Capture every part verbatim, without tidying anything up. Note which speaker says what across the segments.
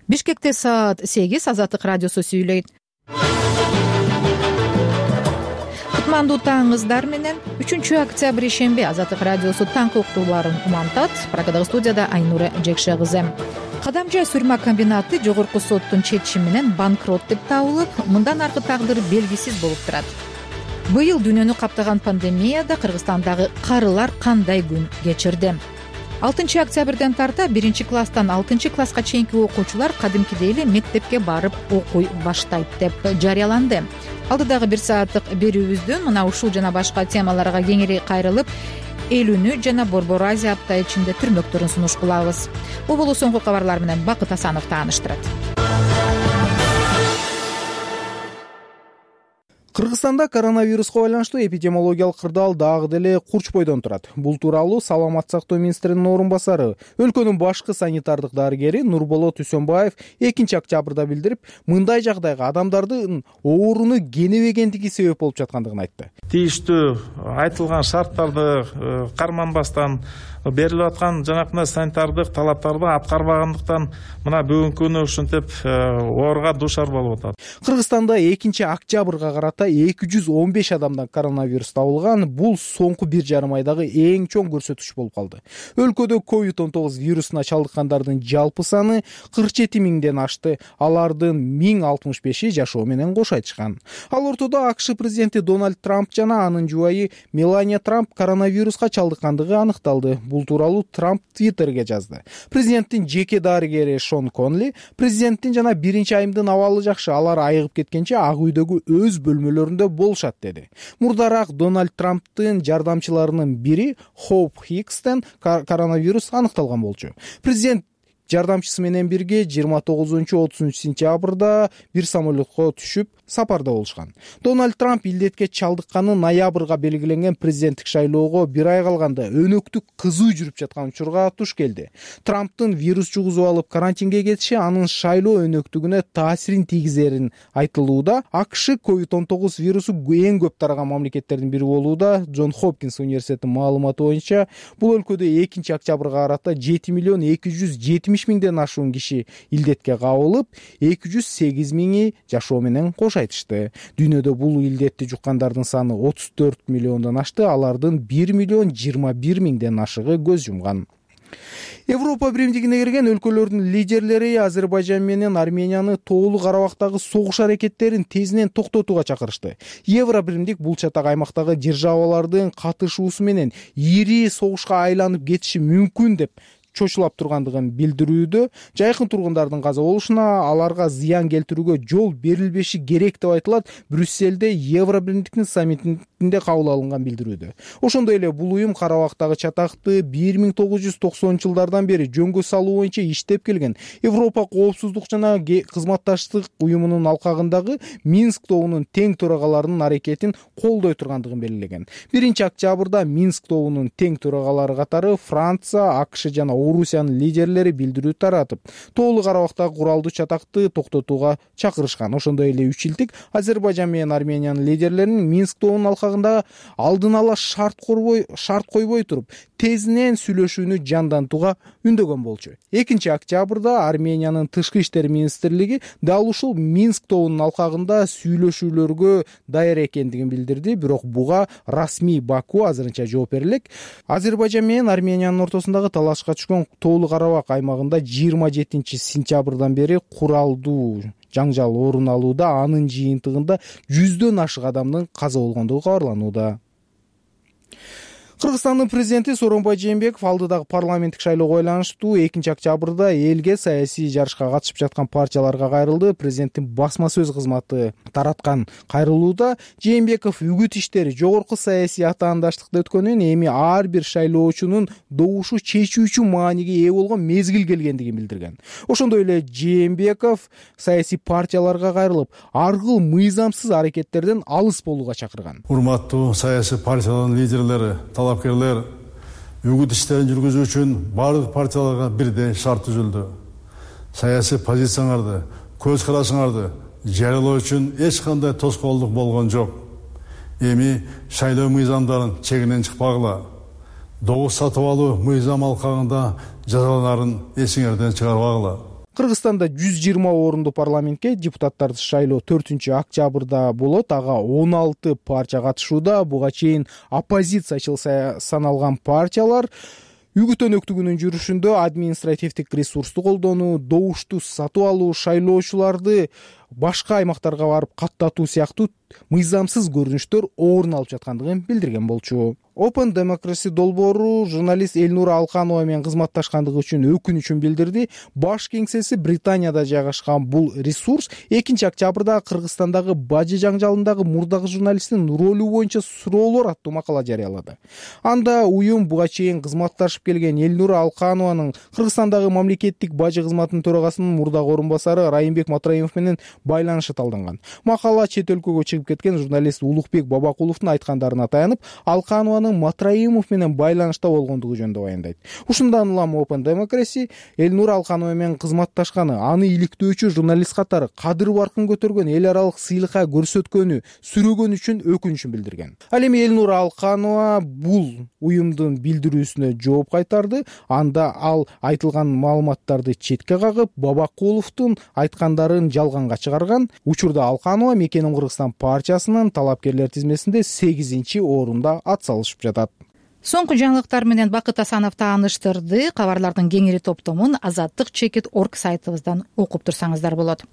Speaker 1: Бишкекте саат сегиз. Азаттык радиосу сүйлөйт. Кутмандуу таңыңыздар менен. үчүнчү октябрь ишемби Азаттык радиосу таңкы уктууларын умантат. Прагадагы студияда Айнура Жекше кызы. Кадамжай Сурма комбинаты жогорку соттун чечими менен банкрот деп табылып, мындан аркы тагдыр белгисиз болуп турат. Быйыл дүйнөнү каптаган пандемияда Кыргызстандагы карылар кандай күн кечирди? алтынчы октябрден тарта биринчи класстан алтынчы класска чейинки окуучулар кадимкидей эле мектепке барып окуй баштайт деп жарыяланды. Алдыдагы бир сааттык берүүбүздөн мына ушул жана башка темаларга кеңири кайрылып, эл үнү жана Борбор Азия апта ичинде түрмөктөрүн сунуш кылабыз. Бул болуу соңку кабарлар менен Бакыт Асанов тааныштырат.
Speaker 2: Кыргызстанда коронавируска байланыштуу эпидемиологиялык кырдаал дагы деле курчпойдон турат. Бул тууралуу Саламаттык сактоо министринин орун басары, өлкөнүн башкы санитардык дарыгери Нурболот Үсөнбаев экинчи октябрда билдирип, мындай жагдайга адамдардын ооруну кенебегендиги себеп болуп жаткандыгын айтты.
Speaker 3: Тийиштүү айтылган шарттарды карманбастан берилип аткан жанакындай санитардык талаптарды аткарбагандыктан мына бүгүнкү күнү ушинтип ооруга дуушар болуп атат.
Speaker 2: Кыргызстанда экинчи октябрга карата эки жүз он беш адамдан коронавирус табылган. Бул соңку бир жарым айдагы эң чоң көрсөткүч болуп калды. Өлкөдө ковид он тогуз вирусуна чалдыккандардын жалпы саны кырк жети миңден ашты. Алардын миң алтымыш беши жашоо менен кош айтышкан. Ал ортодо АКШ президенти Дональд Трамп жана анын жубайы Мелания Трамп коронавируска чалдыккандыгы аныкталды. Бул тууралуу Трамп Твиттерге жазды. Президенттин жеке дарыгери Шон Конли, президенттин жана биринчи айымдын абалы жакшы, алар айыгып кеткенче ак үйдөгү өз бөлмөлөрүндө болушат деди. Мурдараак Дональд Трамптын жардамчыларынын бири Хоуп Хикстен коронавирус аныкталган болчу. Президент жардамчысы менен бирге жыйырма тогузунчу отузунчу сентябрда бир самолетко түшүп сапарда болушкан. Дональд Трамп илдетке чалдыкканы ноябрга белгиленген президенттик шайлоого бир ай калганда өнөктүк кызуу жүрүп жаткан учурга туш келди. Трамптын вирус жугузуп алып карантинге кетиши анын шайлоо өнөктүгүнө таасирин тийгизерин айтылууда. АКШ ковид он тогуз вирусу эң көп тараган мамлекеттердин бири болууда. Джон Хопкинс университетинин маалыматы боюнча бул өлкөдө экинчи октябрга карата жети миллион эки жүз жетимиш миңден ашуун киши илдетке кабылып, эки жүз сегиз миңи жашоо менен кош айтышты. Дүйнөдө бул илдетти жуккандардын саны отуз төрт миллиондон ашты, алардын бир миллион жыйырма бир миңден ашыгы көз жумган. Европа биримдигине кирген өлкөлөрдүн лидерлери Азербайжан менен Арменияны Тоолуу Карабактагы согуш аракеттерин тезинен токтотууга чакырышты. Евро биримдик бул чатак аймактагы державалардын катышуусу менен ири согушка айланып кетиши мүмкүн деп чочулап тургандыгын билдирүүдө. Жайкын тургундардын каза болушуна, аларга зыян келтирүүгө жол берилбеши керек деп айтылат. Брюсселде Евро биримдиктин саммитинде кабыл алынган билдирүүдө. Ошондой эле бул уюм Карабактагы чатакты бир миң тогуз жүз токсонунчу жылдардан бери жөнгө салуу боюнча иштеп келген Европа коопсуздук жана кызматташтык уюмунун алкагындагы Минск тобунун тең төрагаларынын аракетин колдой тургандыгын белгилеген. биринчи октябрда Минск тобунун тең төрагалары катары Франция, АКШ жана Орусиянын лидерлери билдирүү таратып, Тоолуу Карабактагы куралдуу чатакты токтотууга чакырышкан. Ошондой эле үч жылдык Азербайжан менен Армениянын лидерлеринин Минск тобунун алкагында алдын ала шарт корбой шарт койбой туруп, тезинен сүйлөшүүнү жандантууга үндөгөн болчу. экинчи октябрда Армениянын тышкы иштер министрлиги дал ушул Минск тобунун алкагында сүйлөшүүлөргө даяр экендигин билдирди, бирок буга расмий Баку азырынча жооп бере элек. Азербайжан менен Армениянын ортосундагы талашка түшкөн Тоолуу Карабак аймагында жыйырма жетинчи сентябрдан бери куралдуу жаңжал орун алууда. Анын жыйынтыгында жүздөн ашык адамдын каза болгондугу кабарланууда. Кыргызстандын президенти Сооронбай Жээнбеков алдыдагы парламенттик шайлоого байланыштуу экинчи октябрда элге саясий жарышка катышып жаткан партияларга кайрылды. Президенттин басма сөз кызматы тараткан кайрылууда Жээнбеков үгүт иштери жогорку саясий атаандаштыкта өткөнүн, эми ар бир шайлоочунун добушу чечүүчү мааниге ээ болгон мезгил келгендигин билдирген. Ошондой эле Жээнбеков саясий партияларга кайрылып, аргыл мыйзамсыз аракеттерден алыс болууга чакырган.
Speaker 4: Урматтуу саясий партиялардын лидерлери, талапкерлер үгүт иштерин жүргүзүү үчүн бардык партияларга бирдей шарт түзүлдү. Саясий позицияларды, көз карашыңарды жарыялоо үчүн эч кандай тоскоолдук болгон жок. Эми шайлоо мыйзамдарын чегинен чыкпагыла. Добуш сатып алуу мыйзам алкагында жазаларын эсиңерден чыгарбагыла.
Speaker 2: Кыргызстанда жүз жыйырма орунду парламентке депутаттарды шайлоо төртүнчү октябрда болот. Ага он алты партия катышууда. Буга чейин оппозициячыл саналган партиялар үгүт өнөктүгүнүн жүрүшүндө административдик ресурсту колдонуу, добушту сатып алуу, шайлоочуларды башка аймактарга барып каттатуу сыяктуу мыйзамсыз көрүнүштөр орун алып жаткандыгын билдирген болчу. Open Democracy долбоору журналист Элнура Алканова менен кызматташкандыгы үчүн өкүнүчүн билдирди. Баш кеңсеси Британияда жайгашкан бул ресурс экинчи октябрда Кыргызстандагы бажы жаңжалындагы мурдагы журналисттин ролу боюнча суроолор аттуу макала жарыялады. Анда уюм буга чейин кызматташып келген Элнура Алканованын Кыргызстандагы мамлекеттик бажы кызматынын төрагасынын мурдагы орун басары Райымбек Матраимов менен байланышы талданган. Макала чет өлкөгө чыгып кеткен журналист Улукбек Бабакуловдун айткандарына таянып, Алканованын Матраимов менен байланышта болгондугу жөнүндө баяндайт. Ушундан улам Open Democracy Элнура Алканова менен кызматташканы, аны иликтөөчү журналист катары кадыр баркын көтөргөн эл аралык сыйлыкка көрсөткөнү сүрөгөн үчүн өкүнүчүн билдирген. Ал эми Элнура Алканова бул уюмдун билдирүүсүнө жооп кайтарды. Анда ал айтылган маалыматтарды четке кагып, Бабакуловдун айткандарын жалганга чыгарган. Учурда Алканова Мекеним Кыргызстан партиясынын талапкерлер тизмесинде сегизинчи орунда ат салышып жатат.
Speaker 1: Соңку жаңылыктар менен Бакыт Асанов тааныштырды. Кабарлардын кеңири топтомун азаттык чекит точка орг сайтыбыздан окуп турсаңыздар болот.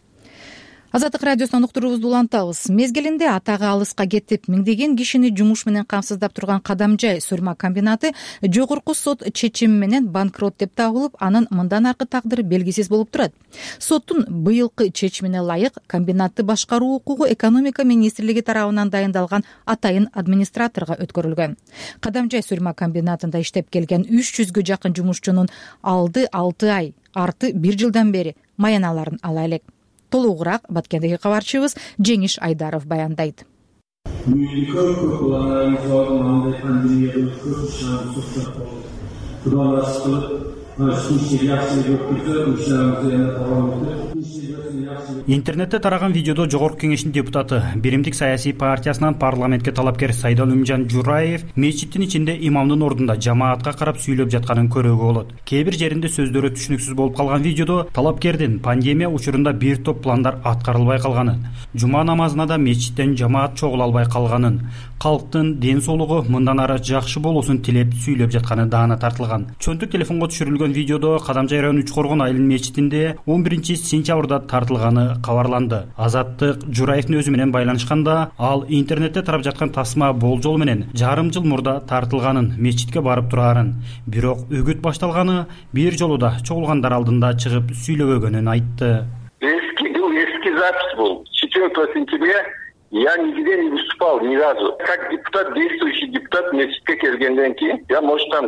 Speaker 1: Азаттык радиосунан уктуруубузду улантабыз. Мезгилинде атагы алыска кетип, миңдеген кишини жумуш менен камсыздап турган Кадамжай сурма комбинаты жогорку сот чечими менен банкрот деп табылып, анын мындан аркы тагдыры белгисиз болуп турат. Соттун быйылкы чечимине ылайык комбинатты башкаруу укугу экономика министрлиги тарабынан дайындалган атайын администраторго өткөрүлгөн. Кадамжай сурма комбинатында иштеп келген үч жүзгө жакын жумушчунун алды алты ай, арты бир жылдан бери маяналарын ала элек. Толугураак Баткендеги кабарчыбыз Жеңиш Айдаров баяндайт.
Speaker 5: Интернетте тараган видеодо Жогорку Кеңештин депутаты, Биримдик саясий партиясынан парламентке талапкер Сайдалымжан Жураев мечиттин ичинде имамдын ордунда жамаатка карап сүйлөп жатканын көрүүгө болот. Кээ бир жеринде сөздөрү түшүнүксүз болуп калган видеодо талапкердин пандемия учурунда бир топ пландар аткарылбай калганын, жума намазына да мечиттен жамаат чогула албай калганын, калктын ден соолугу мындан ары жакшы болуусун тилеп сүйлөп жатканы даана тартылган. Чөнтүк телефонго түшүрүлгөн видеодо Кадамжай району Үч Коргон айылынын мечитинде он биринчи сентябрда тартылганы кабарланды. Азаттык Жураевдин өзү менен байланышканда, ал интернетте тарап жаткан тасма болжол менен жарым жыл мурда тартылганын, мечитке барып турарын, бирок үгүт башталганы бир жолу да чогулгандар алдында чыгып сүйлөбөгөнүн айтты.
Speaker 6: Эски, эски запись был. четвёртого сентября я нигде не выступал ни разу. Как депутат, действующий депутат, мечитке келгенден кийин, я, может, там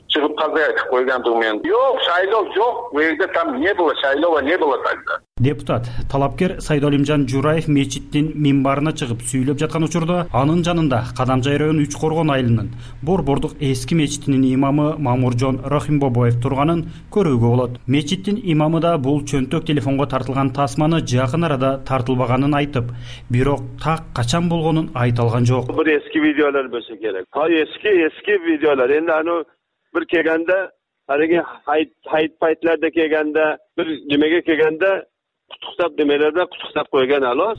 Speaker 6: чыгып калбай айтып койгондугум менен. Жок, шайлоо жок, бул жерде там не было, шайлоо не было тогда.
Speaker 5: Депутат, талапкер Сайдалымжан Жураев мечиттин мимбарына чыгып сүйлөп жаткан учурда анын жанында Кадамжай району Үч Коргон айылынын Борбордук эски мечитинин имамы Мамуржон Рахимбобоев турганын көрүүгө болот. Мечиттин имамы да бул чөнтөк телефонго тартылган тасманы жакын арада тартылбаганын айтып, бирок так качан болгонун айта алган жок.
Speaker 7: Бир эски видеолор болсо керек. Ha эски эски видеолор. Энди аны бир келгенде, ареге хайт хайт пайтларда келгенде, бир немеге келгенде кутуктап демелерде кутуктап койгон алос.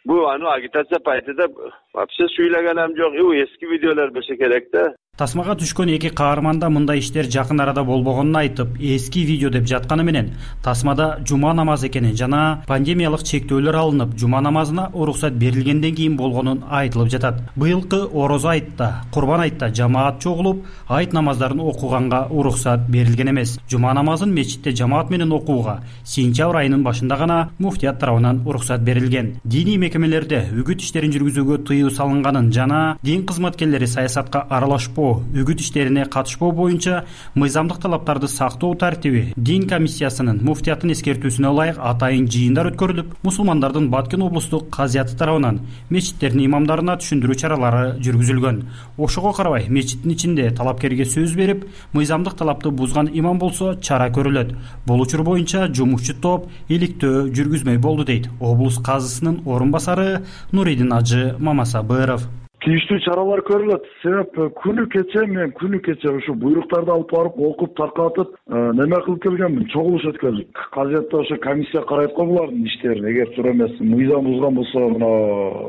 Speaker 7: Бу аны агитация пайтыда вообще сүйлөгөнүм жок. Бу эски видеолор болсо керек да.
Speaker 5: Тасмага түшкөн эки каарманда мындай иштер жакын арада болбогонун айтып, эски видео деп жатканы менен тасмада жума намазы экенин жана пандемиялык чектөөлөр алынып, жума намазына уруксат берилгенден кийин болгонун айтылып жатат. Быйылкы Орозо айтта, Курбан айтта жамаат чогулуп, айт намаздарын окуганга уруксат берилген эмес. Жума намазын мечитте жамаат менен окууга сентябрь айынын башында гана муфтият тарабынан уруксат берилген. Диний мекемелерде үгүт иштерин жүргүзүүгө тыюу салынганын жана дин кызматкерлери саясатка аралашпоо, үгүт иштерине катышпоо боюнча мыйзамдык талаптарды сактоо тартиби дин комиссиясынын муфтияттын эскертүүсүнө ылайык атайын жыйындар өткөрүлүп, мусулмандардын Баткен облустук казияты тарабынан мечиттердин имамдарына түшүндүрүү чаралары жүргүзүлгөн. Ошого карабай мечиттин ичинде талапкерге сөз берип, мыйзамдык талапты бузган имам болсо чара көрүлөт. Бул учур боюнча жумушчу топ иликтөө жүргүзмөй болду дейт облус казысынын орун басары Нуридин Ажы Мамасабыров.
Speaker 8: тийиштүү чаралар көрүлөт. Себеп күнү кече мен күнү кече ушу буйруктарды алып барып окуп таркатып неме кылып келгенмин, чогулуш өткөздүк. Казетте ошо комиссия карайт го булардын иштерин. Эгер туура эмес мыйзам бузган болсо, мына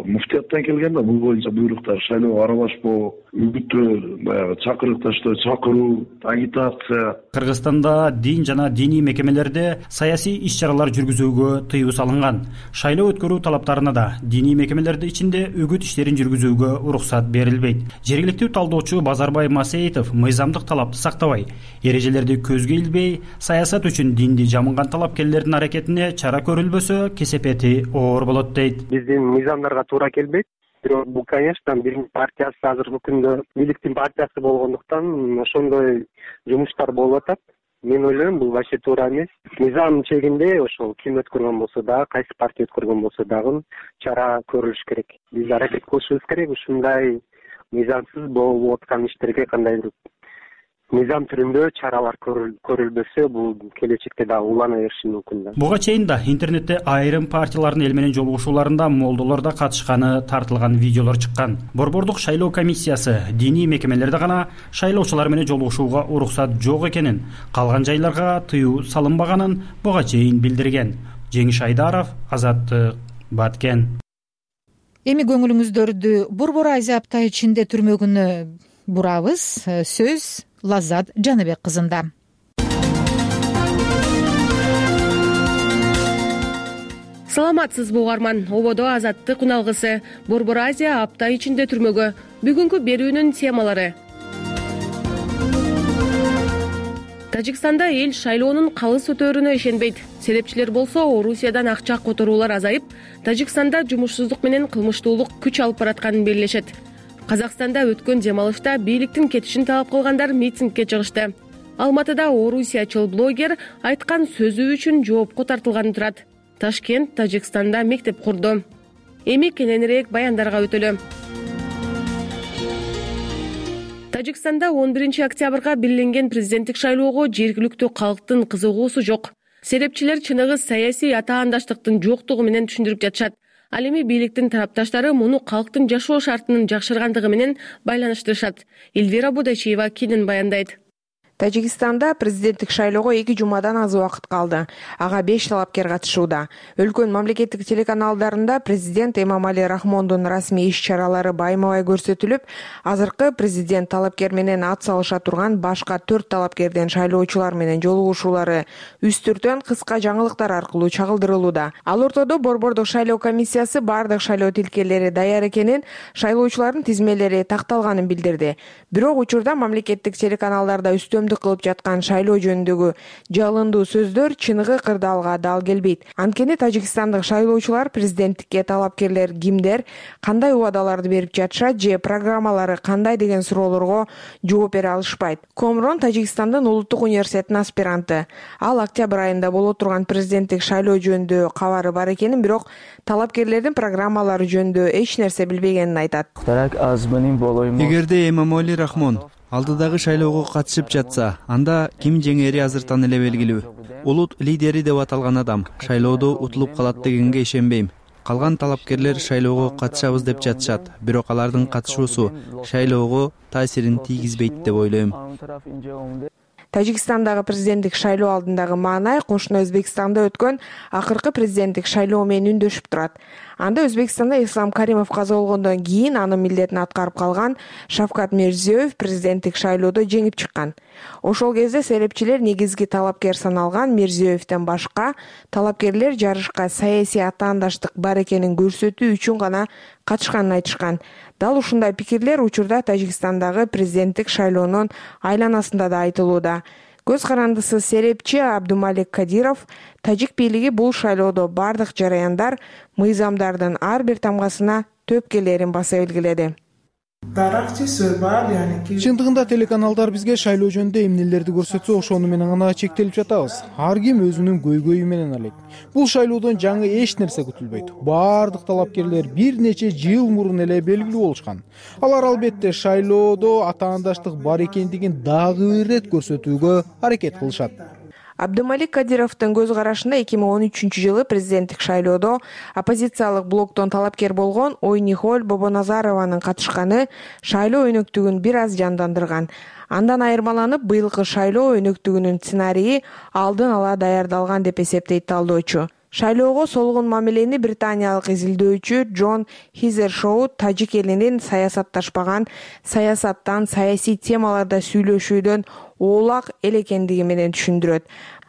Speaker 8: муфтияттан келген да бул боюнча буйруктар, шайлоого аралашпоо, үгүттөө, баягы чакырыкташтоо, чакыруу, агитация.
Speaker 5: Кыргызстанда дин жана диний мекемелерде саясий иш-чаралар жүргүзүүгө тыюу салынган. Шайлоо өткөрүү талаптарына да диний мекемелердин ичинде үгүт иштерин жүргүзүүгө уруксат берилбейт. Жергиликтүү талдоочу Базарбай Масеитов мыйзамдык талапты сактабай, эрежелерди көзгө илбей, саясат үчүн динди жамынган талапкерлердин аракетине чара көрүлбөсө, кесепети оор болот дейт.
Speaker 9: Биздин мыйзамдарга туура келбейт. Бирок бул, конечно, биринчи партиясы азыркы күндө бийликтин партиясы болгондуктан ошондой жумуштар болуп атат. Мен ойлойм, бул вообще туура эмес. Мыйзам чегинде ошол ким өткөргөн болсо дагы, кайсы партия өткөргөн болсо дагы чара көрүлүш керек. Биз аракет кылышыбыз керек ушундай мыйзамсыз болуп аткан иштерге кандайдыр мыйзам түрүндө чаралар көрүлбөсө, бул келечекте дагы улана бериши мүмкүн да.
Speaker 5: Буга чейин да интернетте айрым партиялардын эл менен жолугушууларында молдолор да катышканы тартылган видеолор чыккан. Борбордук шайлоо комиссиясы диний мекемелерде гана шайлоочулар менен жолугушууга уруксат жок экенин, калган жайларга тыюу салынбаганын буга чейин билдирген. Жеңиш Айдаров, Азаттык, Баткен.
Speaker 1: Эми көңүлүңүздөрдү Борбор Азия апта ичинде түрмөгүнө бурабыз. Сөз Лаззат Жаныбек кызында.
Speaker 10: Саламатсызбы угарман, ободо Азаттык уналгысы Борбор Азия апта ичинде түрмөгө. Бүгүнкү берүүнүн темалары. Тажикстанда эл шайлоонун калыс өтөөрүнө ишенбейт. Серепчилер болсо Орусиядан акча которуулар азайып, Тажикстанда жумушсуздук менен кылмыштуулук күч алып баратканын белгилешет. Казакстанда өткөн демалышта бийликтин кетишин талап кылгандар митингге чыгышты. Алматыда орусиячыл блогер айткан сөзү үчүн жоопко тартылганы турат. Ташкент Тажикстанда мектеп курду. Эми кененирээк баяндарга өтөлү. Тажикстанда он биринчи октябрга белгиленген президенттик шайлоого жергиликтүү калктын кызыгуусу жок. Серепчилер чыныгы саясий атаандаштыктын жоктугу менен түшүндүрүп жатышат. Ал эми бийликтин тарапташтары муну калктын жашоо шартынын жакшыргандыгы менен байланыштырышат. Эльвира Будачиева кенен баяндайт.
Speaker 11: Тажикстанда президенттик шайлоого эки жумадан аз убакыт калды. Ага беш талапкер катышууда. Өлкөнүн мамлекеттик телеканалдарында президент Эмомали Рахмондун расмий иш-чаралары байма-бай көрсөтүлүп, азыркы президент талапкер менен ат салыша турган башка төрт талапкердин шайлоочулар менен жолугушуулары үстүртөн кыска жаңылыктар аркылуу чагылдырылууда. Ал ортодо Борбордук шайлоо комиссиясы бардык шайлоо тилкелери даяр экенин, шайлоочулардын тизмелери такталганын билдирди. Бирок учурда мамлекеттик телеканалдарда үстөмдүк кылып жаткан шайлоо жөнүндөгү жалындуу сөздөр чыныгы кырдаалга дал келбейт. Анткени тажикстандык шайлоочулар президенттикке талапкерлер кимдер, кандай убадаларды берип жатышат же программалары кандай деген суроолорго жооп бере алышпайт. Комрон Тажикстандын улуттук университетинин аспиранты. Ал октябрь айында боло турган президенттик шайлоо жөнүндө кабары бар экенин, бирок талапкерлердин программалары жөнүндө эч нерсе билбегенин айтат.
Speaker 12: Эгерде Эмомали Рахмон алдыдагы шайлоого катышып жатса, анда ким жеңери азыртан эле белгилүү. Улут лидери деп аталган адам шайлоодо утулуп калат дегенге ишенбейм. Калган талапкерлер шайлоого катышабыз деп жатышат, бирок алардын катышуусу шайлоого таасирин тийгизбейт деп ойлойм.
Speaker 11: Тажикстандагы президенттик шайлоо алдындагы маанай кошуна Өзбекстанда өткөн акыркы президенттик шайлоо менен үндөшүп турат. Анда Өзбекстанда Ислам Каримов каза болгондон кийин анын милдетин аткарып калган Шавкат Мирзиёев президенттик шайлоодо жеңип чыккан. Ошол кезде серепчилер негизги талапкер саналган Мирзиёевден башка талапкерлер жарышка саясий атаандаштык бар экенин көрсөтүү үчүн гана катышканын айтышкан. Дал ушундай пикирлер учурда Тажикстандагы президенттик шайлоонун айланасында да айтылууда. Көз карандысы серепчи Абдумалик Кадиров тажик бийлиги бул шайлоодо бардык жараяндар, мыйзамдардын ар бир тамгасына төпкелерин баса белгиледи.
Speaker 2: Чындыгында телеканалдар бизге шайлоо жөнүндө эмнелерди көрсөтсө, ошону менен гана чектелип жатабыз. Ар ким өзүнүн көйгөйү менен алек. Бул шайлоодон жаңы эч нерсе күтүлбөйт. Бардык талапкерлер бир нече жыл мурун эле белгилүү болушкан. Алар албетте шайлоодо атаандаштык бар экендигин дагы бир ирет көрсөтүүгө аракет кылышат.
Speaker 11: Абдымалик Кадировдун көз карашында эки миң он үчүнчү жылы президенттик шайлоодо оппозициялык блоктон талапкер болгон Ойнихоль Бобоназарованын катышканы шайлоо өнөктүгүн бир аз жандандырган. Андан айырмаланып, быйылкы шайлоо өнөктүгүнүн сценарийи алдын ала даярдалган деп эсептейт талдоочу. Шайлоого солгун мамилени британиялык изилдөөчү Джон Хизершоу тажик элинин саясатташпаган, саясаттан, саясий темаларда сүйлөшүүдөн оолак эл экендиги менен түшүндүрөт.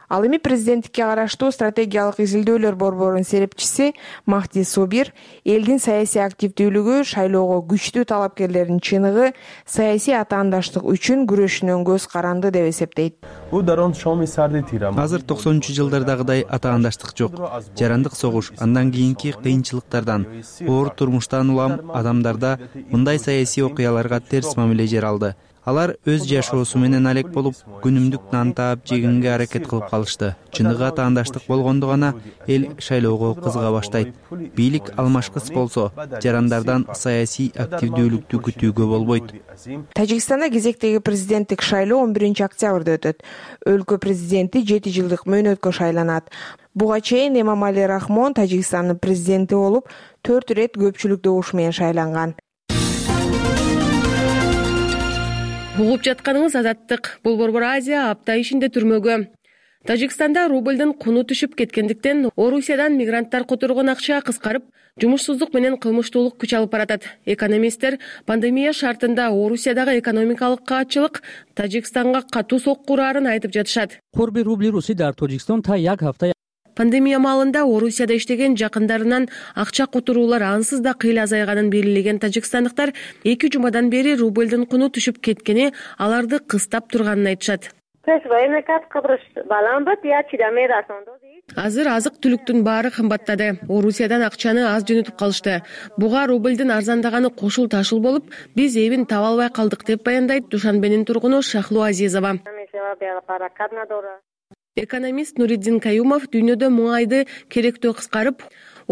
Speaker 11: Ал эми президенттикке караштуу стратегиялык изилдөөлөр борборунун серепчиси Махди Собир элдин саясий активдүүлүгү, шайлоого күчтүү талапкерлердин чыныгы саясий атаандаштык үчүн күрөшүнөн көз каранды деп эсептейт.
Speaker 12: Азыр токсонунчу жылдардагыдай атаандаштык жок. Жарандык согуш, андан кийинки кыйынчылыктардан, оор турмуштан улам адамдарда мындай саясий окуяларга терс мамиле жаралды. Алар өз жашоосу менен алек болуп, күнүмдүк нан таап жегенге аракет кылып калышты. Чыныгы атаандаштык болгондо гана эл шайлоого кызыга баштайт. Бийлик алмашкыс болсо, жарандардан саясий активдүүлүктү күтүүгө болбойт.
Speaker 11: Тажикстанда кезектеги президенттик шайлоо он биринчи октябрда өтөт. Өлкө президенти жети жылдык мөөнөткө шайланат. Буга чейин Эмомали Рахмон Тажикстандын президенти болуп, төрт ирет көпчүлүк добуш менен шайланган.
Speaker 10: Угуп жатканыңыз Азаттык. Бул Борбор Азия апта ишинде түрмөгө. Тажикстанда рубльдин куну түшүп кеткендиктен Орусиядан мигранттар которгон акча кыскарып, жумушсуздук менен кылмыштуулук күч алып баратат. Экономисттер пандемия шартында Орусиядагы экономикалык каатчылык Тажикстанга катуу сокку урарын айтып жатышат.
Speaker 13: Корби рубли руси дар Тажикстан та як hafta
Speaker 10: Пандемия маалында Орусияда иштеген жакындарынан акча которуулар ансыз да кыйла азайганын белгилеген тажикстандыктар эки жумадан бери рубльдин куну түшүп кеткени аларды кыстап турганын айтышат. Азыр азык-түлүктүн баары кымбаттады. Орусиядан акчаны аз жөнөтүп калышты. Буга рубльдин арзандаганы кошул ташыл болуп, биз эбин таба албай калдык деп баяндайт Душанбенин тургуну Шахлу Азизова. Экономист Нуриддин Каюмов дүйнөдө муңайды керектөө кыскарып,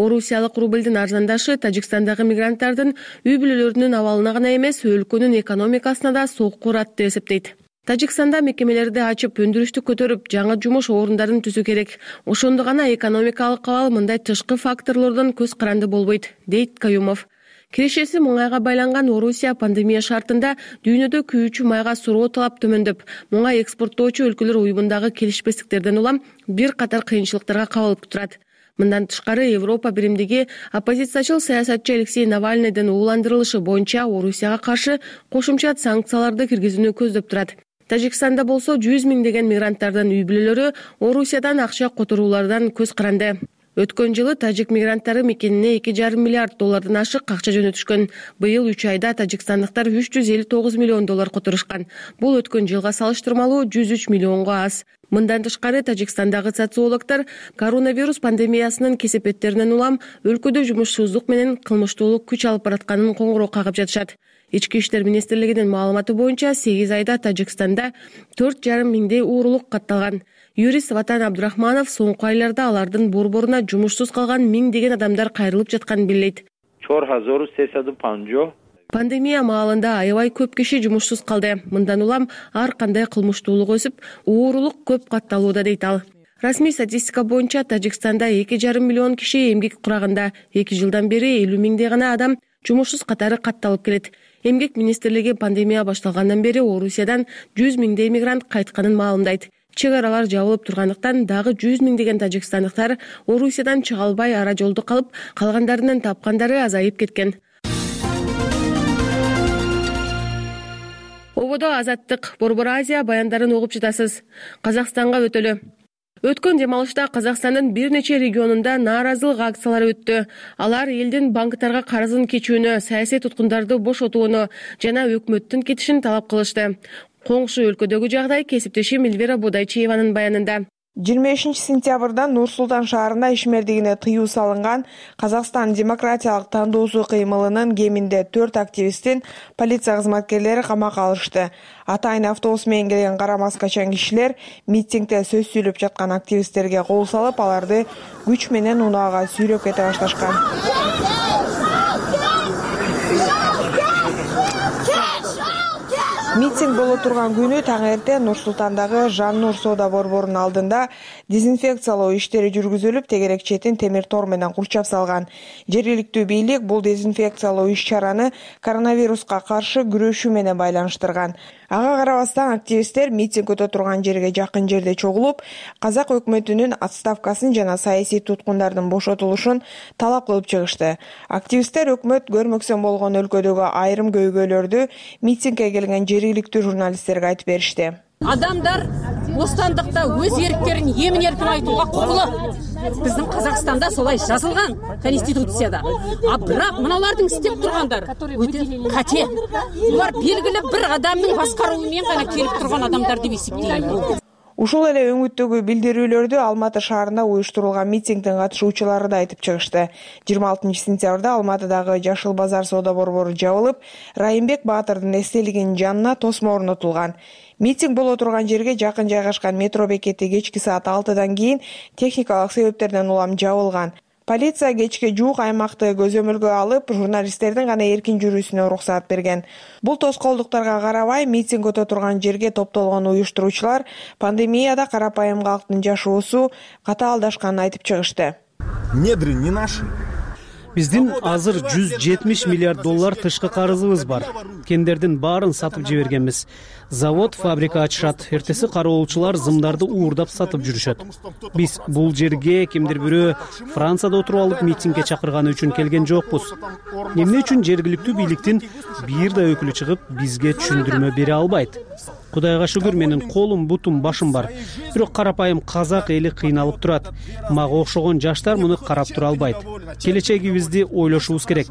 Speaker 10: Орусиялык рубльдин арзандашы Тажикстандагы мигранттардын үй бүлөлөрүнүн абалына гана эмес, өлкөнүн экономикасына да сокку урат деп эсептейт. Тажикстанда мекемелерди ачып, өндүрүштү көтөрүп, жаңы жумуш орундарын түзүү керек. Ошондо гана экономикалык абал мындай тышкы факторлордон көз каранды болбойт, дейт Каюмов. Кирешеси муңайга байланган Орусия пандемия шартында дүйнөдө күйүүчү майга суроо талап төмөндөп, муңай экспорттоочу өлкөлөр уюмундагы келишпестиктерден улам бир катар кыйынчылыктарга кабылып турат. Мындан тышкары Европа биримдиги оппозициячыл саясатчы Алексей Навальныйдын ууландырылышы боюнча Орусияга каршы кошумча санкцияларды киргизүүнү көздөп турат. Тажикстанда болсо жүз миңдеген мигранттардын үй бүлөлөрү Орусиядан акча которуулардан көз каранды. Өткөн жылы тажик мигранттары мекенине эки жарым миллиард доллардан ашык акча жөнөтүшкөн. Быйыл үч айда тажикстандыктар үч жүз элүү тогуз миллион доллар которушкан. Бул өткөн жылга салыштырмалуу жүз үч миллионго аз. Мындан тышкары Тажикстандагы социологдор коронавирус пандемиясынын кесепеттеринен улам өлкөдө жумушсуздук менен кылмыштуулук күч алып баратканын коңгуроо кагып жатышат. Ички иштер министрлигинин маалыматы боюнча сегиз айда Тажикстанда төрт жарым миңдей уурулук катталган. Юрист Ватан Абдурахманов соңку айларда алардын борборуна жумушсуз калган миңдеген адамдар кайрылып жатканын билдирет. Пандемия маалында аябай көп киши жумушсуз калды. Мындан улам ар кандай кылмыштуулук өсүп, уурулук көп катталууда дейт ал. Расмий статистика боюнча Тажикстанда эки жарым миллион киши эмгек кураганда, эки жылдан бери элүү миңдей гана адам жумушсуз катары катталып келет. Эмгек министрлиги пандемия башталгандан бери Орусиядан жүз миңдей мигрант кайтканын маалымдайт. Чек аралар жабылып тургандыктан дагы жүз миңдеген тажикстандыктар Орусиядан чыга албай ара жолдо калып, калгандарынын тапкандары азайып кеткен. Ободо Азаттык, Борбор Азия баяндарын угуп жатасыз. Казакстанга өтөлү. Өткөн демалышта Казакстандын бир нече регионунда нааразылык акциялары өттү. Алар элдин банктарга карызын кечүүнү, саясий туткундарды бошотууну жана өкмөттүн кетишин талап кылышты. Коңшу өлкөдөгү жагдай кесиптешим Эльвира Бодайчиеванын баянында.
Speaker 11: жыйырма бешинчи сентябрдан Нур-Султан шаарында ишмердигине тыюу салынган Казакстан демократиялык тандоосу кыймылынын кеминде төрт активистин полиция кызматкерлери камакка алышты. Атайын автобус менен келген кара маскачан кишилер митингде сөз сүйлөп жаткан активисттерге кол салып, аларды күч менен унаага сүйрөп кете башташкан. Митинг боло турган күнү таң эртең Нур Султандагы Жан Нур соода борборунун алдында дезинфекциялоо иштери жүргүзүлүп, тегерек четин темир тор менен курчап салган. Жергиликтүү бийлик бул дезинфекциялоо иш-чараны коронавируска каршы күрөшүү менен байланыштырган. Ага карабастан активисттер митинг өтө турган жерге жакын жерде чогулуп, казак өкмөтүнүн отставкасын жана саясий туткундардын бошотулушун талап кылып чыгышты. Активисттер өкмөт көрмөксөн болгон өлкөдөгү айрым көйгөйлөрдү митингге келген жергиликтүү журналисттерге айтып беришти.
Speaker 14: Адамдар бостандыкта өз эрктерин эмин-эркин айтууга укуктуу. Биздин Казакстанда солай жазылган конституцияда. А бирок мыналардын истеп тургандар өтө кате. Булар белгиле бир адамдын башкаруу менен гана келип турган адамдар деп эсептейм.
Speaker 11: Ушул эле өңүттөгү билдирүүлөрдү Алматы шаарында уюштурулган митингдин катышуучулары да айтып чыгышты. жыйырма алтынчы сентябрда Алматыдагы Жашыл базар соода борбору жабылып, Райымбек Баатырдын эстелигинин жанына тосмо орнотулган. Митинг боло турган жерге жакын жайгашкан метро бекети кечки саат алтыдан кийин техникалык себептерден улам жабылган. Полиция кечке жуук аймакты көзөмөлгө алып, журналисттердин гана эркин жүрүүсүнө уруксаат берген. Бул тоскоолдуктарга карабай, митинг өтө турган жерге топтолгон уюштуруучулар пандемияда карапайым калктын жашоосу катаалдашканын айтып чыгышты.
Speaker 15: Недры не наши.
Speaker 16: Биздин азыр жүз жетимиш миллиард доллар тышкы карызыбыз бар. Кендердин баарын сатып жибергенбиз. Завод, фабрика ачышат. Эртеси кароолчулар зымдарды уурдап сатып жүрүшөт. Биз бул жерге кимдир бирөө Францияда отуруп алып митингге чакырганы үчүн келген жокпуз. Эмне үчүн жергиликтүү бийликтин бир да өкүлү чыгып бизге түшүндүрмө бере албайт? Кудайга шүгүр, менин колум, бутум, башым бар. Бирок карапайым казак эли кыйналып турат. Мага окшогон жаштар муну карап тура албайт. Келечегибизди ойлошубуз керек.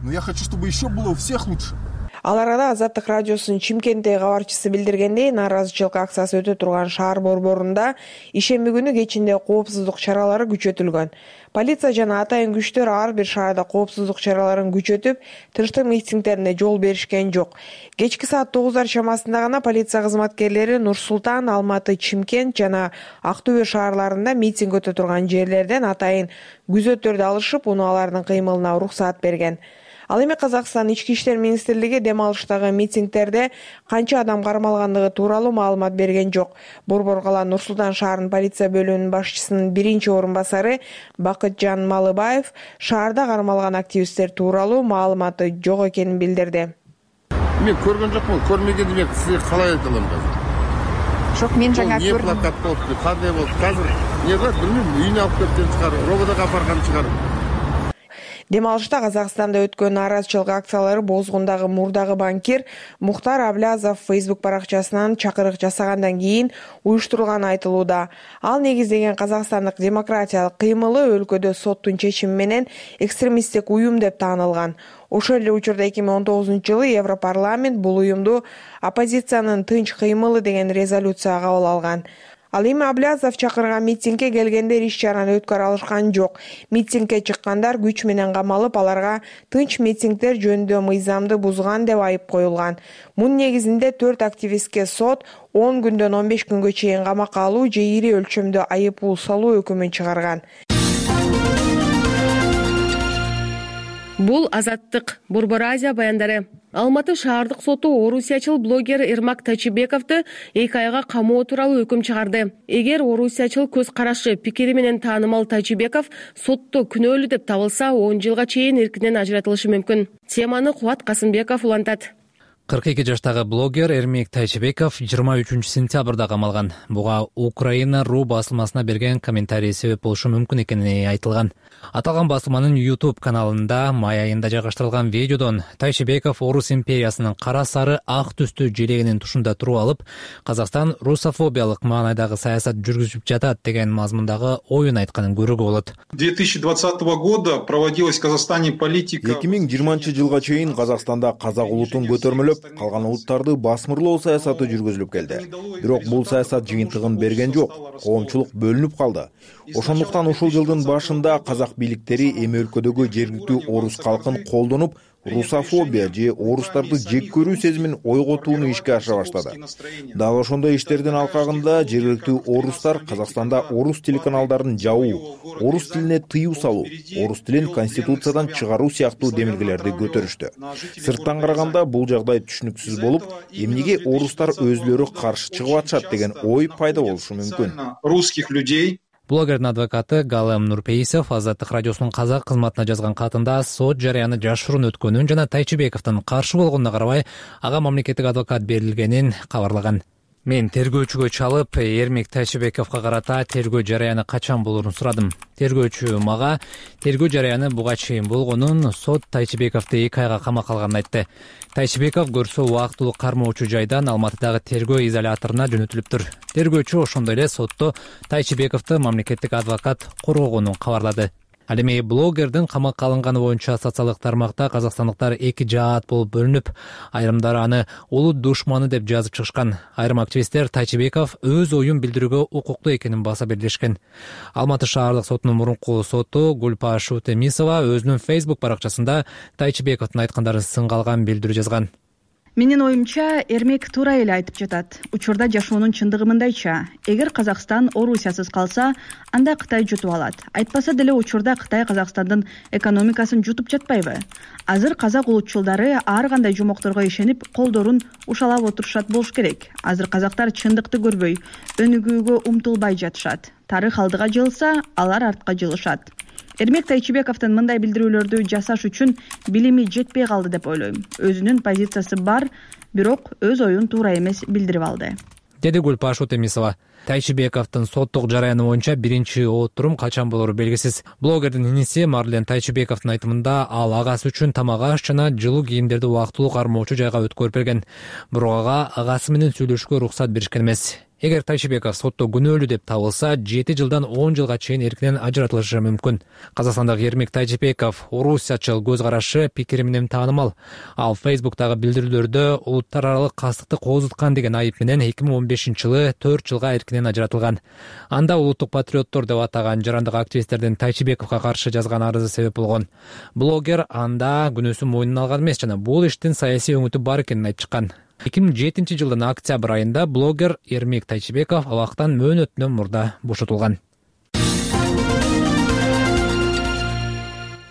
Speaker 15: Но я хочу, чтобы еще было у всех лучше.
Speaker 11: Ал арада Азаттык радиосунун Чимкенттеги кабарчысы билдиргендей, нааразычылык акциясы өтө турган шаар борборунда ишемби күнү кечинде коопсуздук чаралары күчөтүлгөн. Полиция жана атайын күчтөр ар бир шаарда коопсуздук чараларын күчөтүп, тынчтык митингдерине жол беришкен жок. Кечки саат тогуздар чамасында гана полиция кызматкерлери Нур Султан, Алматы, Чимкент жана Ак Төбө шаарларында митинг өтө турган жерлерден атайын күзөттөрдү алышып, унаалардын кыймылына уруксаат берген. Ал эми Казакстан Ички иштер министрлиги дем алыштагы митингдерде канча адам кармалгандыгы тууралуу маалымат берген жок. Борбор кала Нур Султан шаарынын полиция бөлүмүнүн башчысынын биринчи орун басары Бакытжан Малыбаев шаарда кармалган активисттер тууралуу маалыматы жок экенин билдирди.
Speaker 17: Мен көргөн жокмун, көрмөгөндү мен сизге калай айта алам азыр?
Speaker 11: Жок, мен жаңа көрдүм.
Speaker 17: Не плакат болду, кандай болду? Азыр не кылат билбейм, үйүнө алып кеткен чыгар, рободого апарган чыгар.
Speaker 11: Дем алышта Казакстанда өткөн нааразычылык акциялары Бозгундагы мурдагы банкир Мухтар Аблязов Facebook баракчасынан чакырык жасагандан кийин уюштурулганы айтылууда. Ал негиздеген Казакстандык демократиялык кыймылы өлкөдө соттун чечими менен экстремисттик уюм деп таанылган. Ошол эле учурда эки миң он тогузунчу жылы Европарламент бул уюмду оппозициянын тынч кыймылы деген резолюция кабыл алган. Ал эми Аблязов чакырган митингге келгендер иш-чараны өткөрө алышкан жок. Митингге чыккандар күч менен камалып, аларга тынч митингдер жөнүндө мыйзамды бузган деп айып коюлган. Мунун негизинде төрт активистке сот он күндөн он беш күнгө чейин камакка алуу же ири өлчөмдө айып пул салуу өкүмүн чыгарган.
Speaker 10: Бул Азаттык, Борбор Азия баяндары. Алматы шаардык соту орусиячыл блогер Эрмак Тайчыбековду эки айга камоо тууралуу өкүм чыгарды. Эгер орусиячыл көз карашы, пикири менен таанымал Тайчыбеков сотто күнөөлүү деп табылса, он жылга чейин эркинен ажыратылышы мүмкүн. Теманы Кубат Касымбеков улантат.
Speaker 18: кырк эки жаштагы блогер Эрмек Тайчыбеков жыйырма үчүнчү сентябрда камалган. Буга Украина ру басылмасына берген комментарий себеп болушу мүмкүн экени айтылган. Аталган басылманын YouTube каналында май айында жайгаштырылган видеодон Тайчыбеков Орус империясынын кара сары ак түстүү желегинин тушунда туруп алып, Казакстан русофобиялык маанайдагы саясат жүргүзүп жатат деген мазмундагы оюн айтканын көрүүгө болот.
Speaker 19: две тысячи двадцатого года проводилась в Казахстане политика.
Speaker 20: эки миң жыйырманчы жылга чейин Казакстанда казак улутун көтөрмөлөп, калган улуттарды басмырлоо саясаты жүргүзүлүп келди. Бирок бул саясат жыйынтыгын берген жок. Коомчулук бөлүнүп калды. Ошондуктан ушул жылдын башында казак бийликтери эми өлкөдөгү жергиликтүү орус калкын колдонуп, русофобия же орустарды жек көрүү сезимин ойготууну ишке ашыра баштады. Дал ошондой иштердин алкагында жергиликтүү орустар Казакстанда орус телеканалдарын жабуу, орус тилине тыюу салуу, орус тилин конституциядан чыгаруу сыяктуу демилгелерди көтөрүштү. Сырттан караганда бул жагдай түшүнүксүз болуп, эмнеге орустар өзлөрү каршы чыгып атышат деген ой пайда болушу мүмкүн.
Speaker 19: Русских людей.
Speaker 18: Блогердин адвокаты Галем Нурпейисов Азаттык радиосунун казак кызматына жазган катында сот жарыяны жашыруун өткөнүн жана Тайчыбековдун каршы болгонуна карабай, ага мамлекеттик адвокат берилгенин кабарлаган. Мен тергөөчүгө чалып, Эрмек Тайчыбековго карата тергөө жарыяны качан болорун сурадым. Тергөөчү мага тергөө жарыяны буга чейин болгонун, сот Тайчыбековду эки айга камакка алганын айтты. Тайчыбеков көрсө убактылуу кармоочу жайдан Алматыдагы тергөө изоляторуна жөнөтүлүптүр. Тергөөчү ошондой эле сотто Тайчыбековду мамлекеттик адвокат коргогонун кабарлады. Ал эми блогердин камакка алынганы боюнча социалдык тармакта казакстандыктар эки жаат болуп бөлүнүп, айрымдары аны улут душманы деп жазып чыгышкан. Айрым активисттер Тайчыбеков өз оюн билдирүүгө укуктуу экенин баса белгилешкен. Алматы шаардык сотунун мурунку соту Гульпа Шутемисова өзүнүн Facebook баракчасында Тайчыбековдун айткандарын сынга алган билдирүү жазган.
Speaker 21: Менин оюмча, Эрмек туура эле айтып жатат. Учурда жашоонун чындыгы мындайча: эгер Казакстан Орусиясыз калса, анда Кытай жутуп алат. Айтпаса деле учурда Кытай Казакстандын экономикасын жутуп жатпайбы? Азыр казак улутчулдары ар кандай жомокторго ишенип, колдорун ушалап отурушат болуш керек. Азыр казактар чындыкты көрбөй, өнүгүүгө умтулбай жатышат. Тарых алдыга жылса, алар артка жылышат. Эрмек Тайчыбековдун мындай билдирүүлөрдү жасаш үчүн билими жетпей калды деп ойлойм. Өзүнүн позициясы бар, бирок өз оюн туура эмес билдирип алды,
Speaker 18: деди Гульпа Шутемисова. Тайчыбековдун соттук жараяны боюнча биринчи отурум качан болору белгисиз. Блогердин иниси Марлен Тайчыбековдун айтымында, ал агасы үчүн тамак аш жана жылуу кийимдерди убактылуу кармоочу жайга өткөрүп берген. Бирок ага агасы менен сүйлөшүүгө уруксат беришкен эмес. Эгер Тайчыбеков сотто күнөөлүү деп табылса, жети жылдан он жылга чейин эркинен ажыратылышы мүмкүн. Казакстандык Эрмек Тайчыбеков орусячыл көз карашы, пикири менен таанымал. Ал Facebook'тагы билдирүүлөрдө улуттар аралык кастыкты кооздуткан деген айып менен эки миң он бешинчи жылы төрт жылга эркинен ажыратылган. Анда улуттук патриоттор деп атаган жарандык активисттердин Тайчыбековго каршы жазган арызы себеп болгон. Блогер анда күнөөсүн мойнуна алган эмес жана бул иштин саясий өңүтү бар экенин айтып чыккан. эки миң жетинчи жылдын октябрь айында блогер Эрмек Тайчыбеков абактан мөөнөтүнөн мурда бошотулган.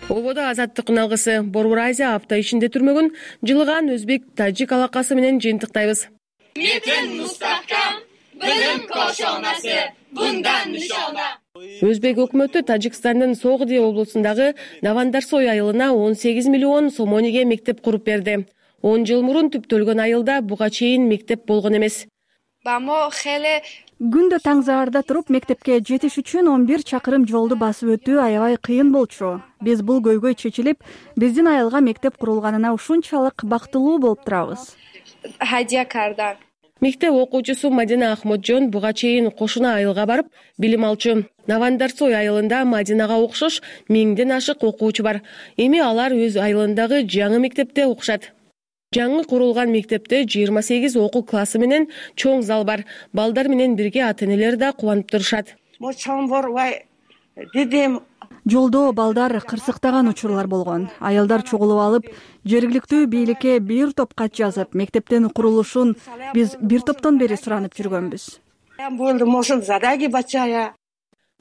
Speaker 10: Ободо Азаттыктын алгысы Борбор Азия апта ичинде түрмөгүн жылыган өзбек-тажик алакасы менен жыйынтыктайбыз.
Speaker 22: Метин мустахкам, билим кошонасы, bundan nishona.
Speaker 10: Өзбек өкмөтү Тажикстандын Соғди облусундагы Навандарсой айылына он сегиз миллион сомониге мектеп куруп берди. он жыл мурун түптөлгөн айылда буга чейин мектеп болгон эмес.
Speaker 21: Күндө таң заарда туруп мектепке жетиш үчүн он бир чакырым жолду басып өтүү аябай кыйын болчу. Биз бул көйгөй чечилип, биздин айылга мектеп курулганына ушунчалык бактылуу болуп турабыз.
Speaker 10: Мектеп окуучусу Мадина Ахмоджон буга чейин кошуна айылга барып билим алчу. Навандарсой айылында Мадинага окшош миңден ашык окуучу бар. Эми алар өз айылындагы жаңы мектепте окушат. Жаңы курулган мектепте жыйырма сегиз окуу классы менен чоң зал бар. Балдар менен бирге ата-энелер да кубанып турушат.
Speaker 21: Жолдо балдар кырсыктаган учурлар болгон. Аялдар чогулуп алып, жергиликтүү бийликке бир топ кат жазып, мектептин курулушун биз бир топтон бери суранып жүргөнбүз.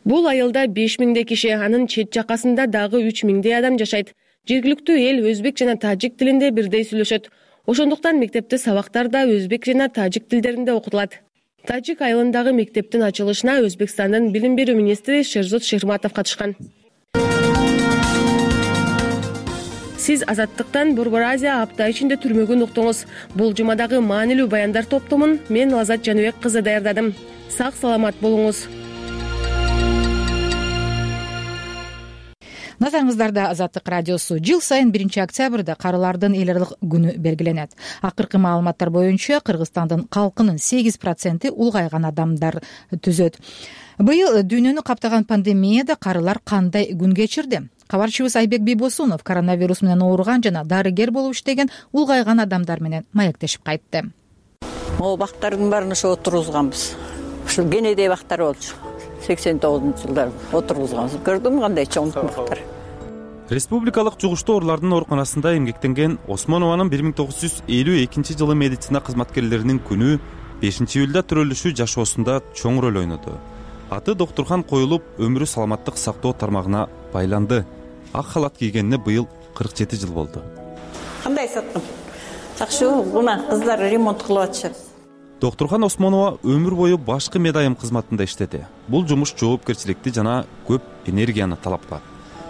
Speaker 10: Бул айылда беш миңдей киши, анын чет жакасында дагы үч миңдей адам жашайт. Жергиликтүү эл өзбек жана тажик тилинде бирдей сүйлөшөт. Ошондуктан мектепте сабактар да өзбек жана тажик тилдеринде окутулат. Тажик айылындагы мектептин ачылышына Өзбекстандын билим берүү министри Шерзот Шерматов катышкан. Сиз Азаттыктан Борбор Азия апта ичинде түрмөгүн уктуңуз. Бул жумадагы маанилүү баяндар топтомун мен Лазат Жаныбек кызы даярдадым. Сак саламат болуңуз.
Speaker 1: Назарыңыздарда Азаттык радиосу. Жыл сайын биринчи октябрда карылардын эл аралык күнү белгиленет. Акыркы маалыматтар боюнча Кыргызстандын калкынын сегиз проценти улгайган адамдар түзөт. Быйыл дүйнөнү каптаган пандемияда карылар кандай күн кечирди? Кабарчыбыз Айбек Бийбосунов коронавирус менен ооруган жана дарыгер болуп иштеген улгайган адамдар менен маектешип кайтты.
Speaker 23: Могу бактардын баарын ошо отургузганбыз. Ушул Генедей бактар болчу. сексен тогузунчу жылдар отургузганбыз. Көрдүм кандай чоң бактар.
Speaker 3: республикалык жугуштуу оорулардын ооруканасында эмгектенген Осмонованын бир миң тогуз жүз элүү экинчи жылы медицина кызматкерлеринин күнү бешинчи июлда төрөлүшү жашоосунда чоң роль ойноду. Аты доктурхан коюлуп, өмүрү саламаттык сактоо тармагына байланды. Ак халат кийгенине быйыл кырк жети жыл болду.
Speaker 23: Кандай саттым? Жакшы, мына кыздар ремонт кылып атышат.
Speaker 3: Доктурхан Осмонова өмүр бою башкы медайым кызматында иштеди. Бул жумуш жоопкерчиликти жана көп энергияны талап кылат.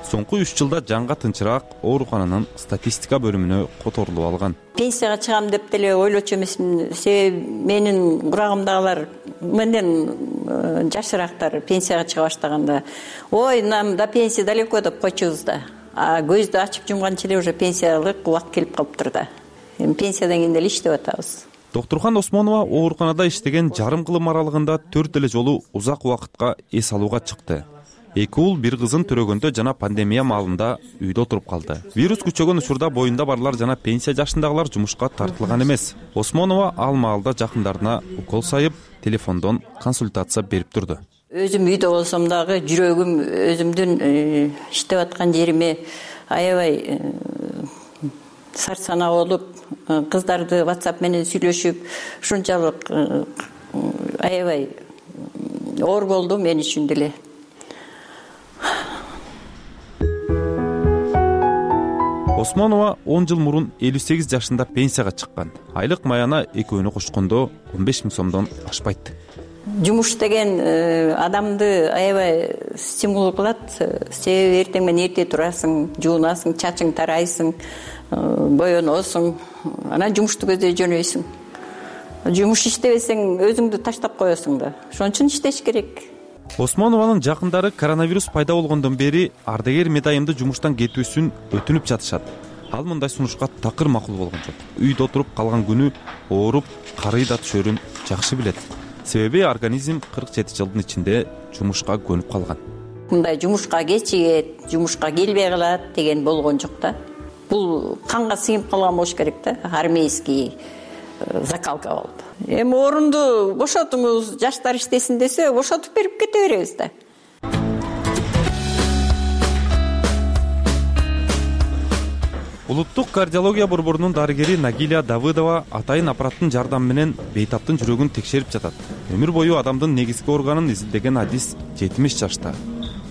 Speaker 3: Соңку үч жылда жанга тынчыраак оорукананын статистика бөлүмүнө которулуп алган.
Speaker 23: Пенсияга чыгам деп деле ойлочу эмесмин. Себеби менин курагымдагылар менден жашыраактар пенсияга чыга баштаганда, ой, нам до пенсии далеко деп койчубуз да. А көздү ачып жумганча эле уже пенсиялык убакыт келип калыптыр да. Эми пенсиядан кийин деле иштеп атабыз.
Speaker 3: Доктурхан Осмонова ооруканада иштеген жарым кылым аралыгында төрт эле жолу узак убакытка эс алууга чыкты. Эки уул бир кызын төрөгөндө жана пандемия маалында үйдө отуруп калды. Вирус күчөгөн учурда боюнда барлар жана пенсия жашындагылар жумушка тартылган эмес. Осмонова ал маалда жакындарына укол сайып, телефондон консультация берип турду.
Speaker 23: Өзүм үйдө болсом дагы жүрөгүм өзүмдүн иштеп аткан жериме аябай сарсанаа болуп, кыздарды WhatsApp менен сүйлөшүп, ушунчалык аябай оор болду мен үчүн деле.
Speaker 3: Осмонова он жыл мурун элүү сегиз жашында пенсияга чыккан. Айлык маяна экөөнү кошкондо он беш миң сомдон ашпайт.
Speaker 23: Жумуш деген адамды аябай стимул кылат. Себеби эртең менен эрте турасың, жуунасың, чачың тарайсың, боёносуң, анан жумушту көздөй жөнөйсүң. Жумуш иштебесең өзүңдү таштап коесуң да. Ошон үчүн иштеш керек.
Speaker 3: Осмонованын жакындары коронавирус пайда болгондон бери ардагер медайымды жумуштан кетүүсүн өтүнүп жатышат. Ал мындай сунушка такыр макул болгон жок. Үйдө отуруп калган күнү ооруп, карый да түшөрүн жакшы билет. Себеби организм кырк жети жылдын ичинде жумушка көнүп калган.
Speaker 23: Мындай жумушка кечигет, жумушка келбей калат деген болгон жок да. Бул канга сыйып калган болуш керек да, армейский закалка болуп. Эми орунду бошотуңуз, жаштар иштесин десе, бошотуп берип кете беребиз да.
Speaker 3: Улуттук кардиология борборунун дарыгери Нагиля Давыдова атайын аппараттын жардамы менен бейтаптын жүрөгүн текшерип жатат. Өмүр бою адамдын негизги органын изилдеген адис жетимиш жашта.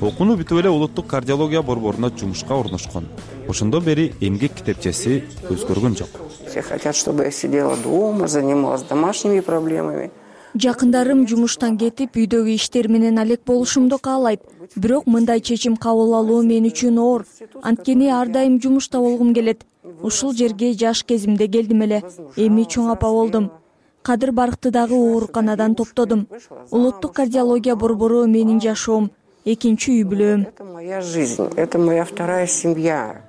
Speaker 3: Окууну бүтүп эле улуттук кардиология борборуна жумушка орношкон. Ошондон бери эмгек китепчеси өзгөргөн жок.
Speaker 4: Все хотят, чтобы я сидела дома, занималась домашними проблемами.
Speaker 6: Жакындарым жумуштан кетип, үйдөгү иштер менен алек болушумду каалайт. Бирок мындай чечим кабыл алуу мен үчүн оор. Анткени ар дайым жумушта болгум келет. Ушул жерге жаш кезимде келдим эле. Эми чоң апа болдум. Кадыр Барыкты дагы ооруканадан топтодум. Улуттук кардиология борбору менин жашоом, экинчи үй бүлөм.
Speaker 4: Это моя жизнь, это моя вторая семья.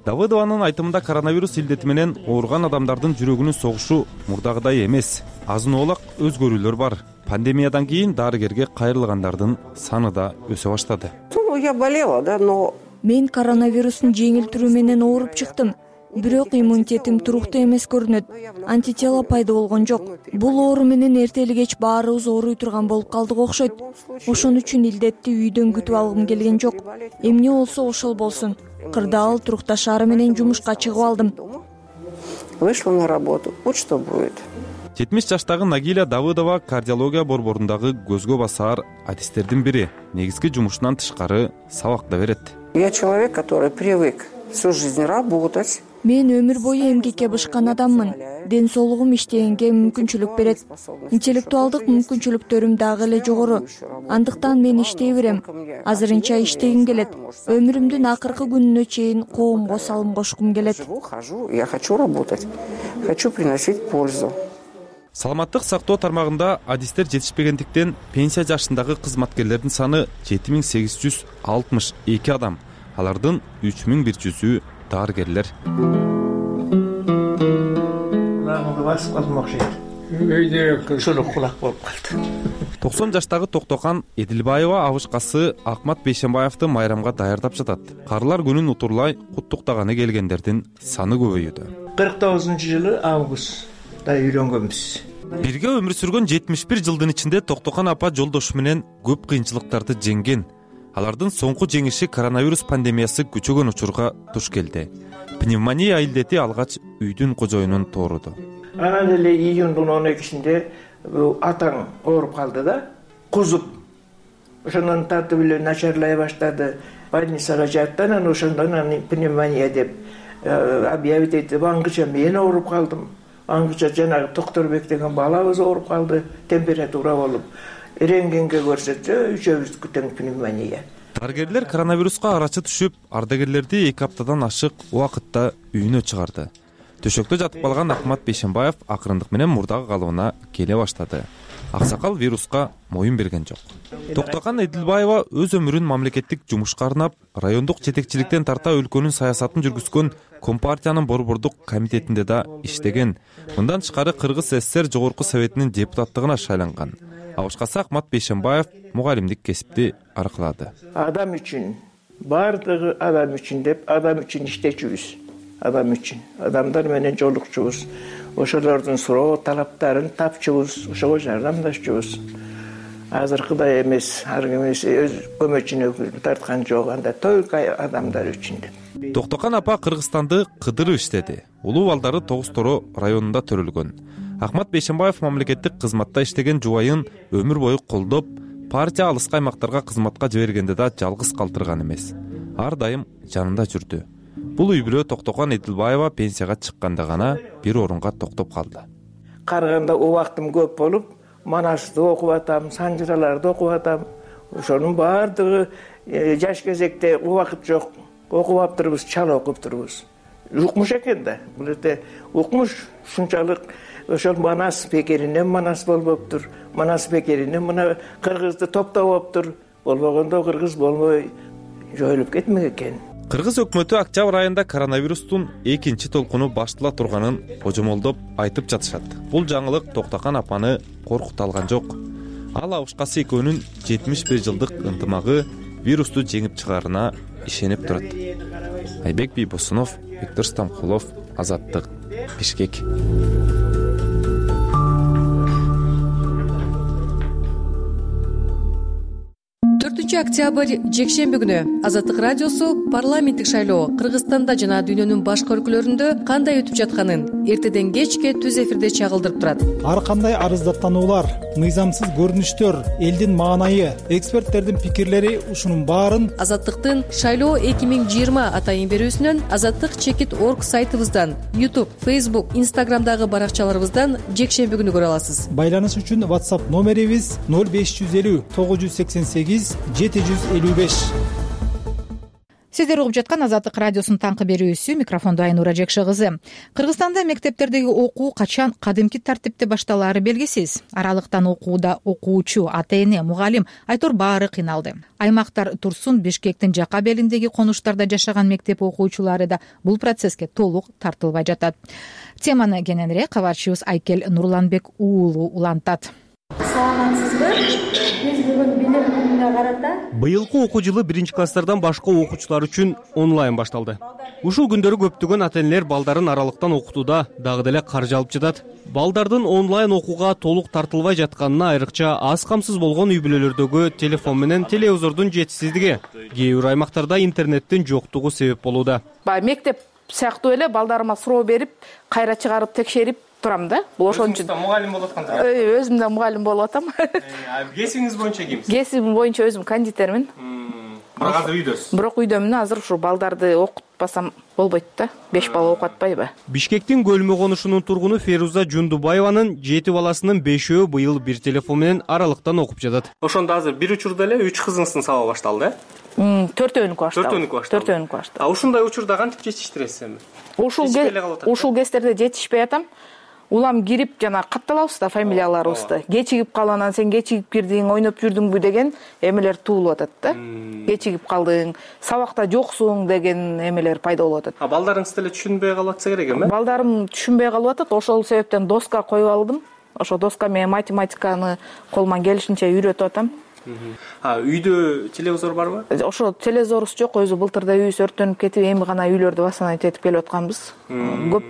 Speaker 3: Давыдованын айтымында коронавирус илдети менен ооруган адамдардын жүрөгүнүн согушу мурдагыдай эмес. Азын-оолак өзгөрүүлөр бар. Пандемиядан кийин дарыгерге кайрылгандардын саны да өсө баштады.
Speaker 4: Я болела, да, но
Speaker 6: мен коронавирустун жеңил түрү менен ооруп чыктым. Бирок иммунитетим туруктуу эмес көрүнөт. Антитела пайда болгон жок. Бул оору менен эртели кеч баарыбыз ооруй турган болуп калдык окшойт. Ошон үчүн илдетти үйдөн күтүп алгым келген жок. Эмне болсо ошол болсун. Кырдаал турукташаары менен жумушка чыгып алдым.
Speaker 4: Вышла на работу. Вот что будет.
Speaker 3: жетимиш жаштагы Нагиля Давыдова кардиология борборундагы көзгө басаар адистердин бири. Негизги жумушунан тышкары сабак да берет.
Speaker 4: Я человек, который привык всю жизнь работать.
Speaker 6: Мен өмүр бою эмгекке бышкан адаммын. Ден соолугум иштегенге мүмкүнчүлүк берет. Интеллектуалдык мүмкүнчүлүктөрүм дагы эле жогору. Андыктан мен иштей берем. Азырынча иштегим келет. Өмүрүмдүн акыркы күнүнө чейин коомго салым кошкум келет.
Speaker 4: Я хочу работать. Хочу приносить пользу.
Speaker 3: Саламаттык сактоо тармагында адистер жетишпегендиктен пенсия жашындагы кызматкерлердин саны жети миң сегиз жүз алтымыш эки адам. Алардын үч миң бир жүзү дарыгерлер.
Speaker 4: Үйдө ушул кулак болуп калды.
Speaker 3: токсон жаштагы Токтохан Эдилбаева абышкасы Акмат Бейшенбаевди майрамга даярдап жатат. Карылар күнүн утурлай куттуктаганы келгендердин саны көбөйүүдө.
Speaker 24: кырк тогузунчу жылы августта үйлөнгөнбүз.
Speaker 3: Бирге өмүр сүргөн жетимиш бир жылдын ичинде Токтохан апа жолдошу менен көп кыйынчылыктарды жеңген. алардын соңку жеңиши коронавирус пандемиясы күчөгөн учурга туш келди. Пневмония илдети алгач үйдүн кожоюнун тооруду.
Speaker 24: Анан эле июндун он экисинде атаң ооруп калды да, кузуп. Ошондон тартып эле начарлай баштады. Больницага жатты, анан ошондон пневмония деп объявить этип, аңгыча мен ооруп калдым. Аңгыча жанагы Токторбек деген балабыз ооруп калды, температура болуп. Рентгенге көрсөтсө, үчөөбүздүкү тең пневмония.
Speaker 3: Дарыгерлер коронавируска арачы түшүп, ардагерлерди эки аптадан ашык убакытта үйүнө чыгарды. Төшөктө жатып калган Акмат Бейшенбаев акырындык менен мурдагы калыбына келе баштады. Аксакал вируска моюн берген жок. Токтогон Эдилбаева өз өмүрүн мамлекеттик жумушка арнап, райондук жетекчиликтен тарта өлкөнүн саясатын жүргүзгөн Компартиянын борбордук комитетинде да иштеген. Мындан тышкары Кыргыз СССР Жогорку Советинин депутаттыгына шайланган. А башкасы Акмат Бейшенбаев мугалимдик кесипти аркылады.
Speaker 24: Адам үчүн, бардыгы адам үчүн деп, адам үчүн иштечүбүз. Адам үчүн, адамдар менен жолукчубуз. Ошолордун суроо талаптарын тапчубуз, ошого жардамдашчубуз. Азыркыдай эмес, ар ким өз көмөчүнө тарткан жок, анда только адамдар үчүн деп.
Speaker 3: Токтокан апа Кыргызстанды кыдырып иштеди. Улуу балдары Тогуз Торо районунда төрөлгөн. Акмат Бейшенбаев мамлекеттик кызматта иштеген жубайын өмүр бою колдоп, партия алыскы аймактарга кызматка жибергенде да жалгыз калтырган эмес. Ар дайым жанында жүрдү. Бул үй бүлө Токтогон Эдилбаева пенсияга чыкканда гана бир орунга токтоп калды.
Speaker 24: Карыганда убактым көп болуп, Манасты окуп атам, Санжыраларды окуп атам. Ошонун бардыгы жаш кезекте убакыт жок. Окуп аптырбыз, чала окуп турбуз. Укмуш экен да. Бул жерде укмуш ушунчалык ошол Манас бекеринен Манас болбоптур. Манас бекеринен мына кыргызды топтоп болбогондо кыргыз болбой жоюлуп кетмек экен.
Speaker 3: Кыргыз өкмөтү октябрь айында коронавирустун экинчи толкуну баштала турганын божомолдоп айтып жатышат. Бул жаңылык Токтогон апаны коркута алган жок. Ал абышкасы экөөнүн жетимиш бир жылдык ынтымагы вирусту жеңип чыгаарына ишенип турат. Айбек Бийбосунов, Виктор Стамкулов, Азаттык, Бишкек.
Speaker 10: төртүнчү октябрь жекшемби күнү Азаттык радиосу парламенттик шайлоо Кыргызстанда жана дүйнөнүн башка өлкөлөрүндө кандай өтүп жатканын эртеден кечке түз эфирде чагылдырып турат.
Speaker 5: Ар кандай арыздаттануулар, мыйзамсыз көрүнүштөр, элдин маанайы, эксперттердин пикирлери ушунун баарын
Speaker 10: Азаттыктын шайлоо эки миң жыйырма атайын берүүсүнөн, Азаттык чекит орг сайтыбыздан, YouTube, Facebook, Instagramдагы баракчаларыбыздан жекшемби күнү көрө аласыз.
Speaker 5: Байланыш үчүн WhatsApp номерибиз ноль беш жүз элүү тогуз жүз сексен сегиз жети жүз элүү беш.
Speaker 1: Сиздер угуп жаткан Азаттык радиосунун таңкы берүүсү, микрофондо Айнура Жекше кызы. Кыргызстанда мектептердеги окуу качан кадимки тартипте башталаары белгисиз. Аралыктан окууда окуучу, ата-эне, мугалим Айтор баары кыйналды. Аймактар турсун, Бишкектин жака белиндеги конуштарда жашаган мектеп окуучулары да бул процесске толук тартылбай жатат. Теманы кененирээк кабарчыбыз Айкел Нурланбек уулу улантат.
Speaker 7: Саламатсызбы? Биз бүгүн билим күнүнө карата
Speaker 16: быйылкы окуу жылы биринчи класстардан башка окуучулар үчүн онлайн башталды. Ушул күндөрү көптөгөн ата-энелер балдарын аралыктан окутууда дагы деле каржы алып жатат. Балдардын онлайн окууга толук тартылбай жатканына айрыкча аз камсыз болгон үй бүлөлөрдөгү телефон менен телевизордун жетишсиздиги, кээ бир аймактарда интернеттин жоктугу себеп болууда.
Speaker 8: Баягы мектеп сыяктуу эле балдарыма суроо берип, кайра чыгарып текшерип турам да. Бул ошон үчүн
Speaker 16: мугалим болуп атканда.
Speaker 8: Өзүм да мугалим болуп атам.
Speaker 16: Кесибиңиз боюнча кимсиз?
Speaker 8: Кесибим боюнча өзүм кондитермин.
Speaker 16: Бирок азыр үйдөсүз.
Speaker 8: Бирок үйдөмүн, азыр ушу балдарды окутпасам болбойт да. беш бала окуп атпайбы?
Speaker 16: Бишкектин Көлмө конушунун тургуну Феруза Жундубаеванын жети баласынын бешөө быйыл бир телефон менен аралыктан окуп жатат. Ошондо азыр бир учурда эле үч кызыңыздын сабагы башталды, э?
Speaker 8: Төртөөнүкү башталды.
Speaker 16: Төртөөнүкү башталды.
Speaker 8: Төртөөнүкү башталды.
Speaker 16: А ушундай учурда кантип жетиштиресиз эми?
Speaker 8: Ушул ушул кездерде жетишпей атам. Улам кирип жана катталабыз да фамилияларыбызды. Кечигип калып, анан сен кечигип кирдиң, ойноп жүрдүңбү деген эмелер туулуп атат да. Кечигип калдың, сабакта жоксуң деген эмелер пайда болуп атат.
Speaker 16: А балдарыңыз деле түшүнбөй калып атса керек эми?
Speaker 8: Балдарым түшүнбөй калып атат. Ошол себептен доска коюп алдым. Ошо доска менен математиканы колуман келишинче үйрөтүп атам.
Speaker 16: А үйдө телевизор барбы?
Speaker 8: Ошо телевизорубуз жок, өзү былтырда үйүбүз өрттөнүп кетип, эми гана үйлөрдү восстановить этип келип атканбыз. Көп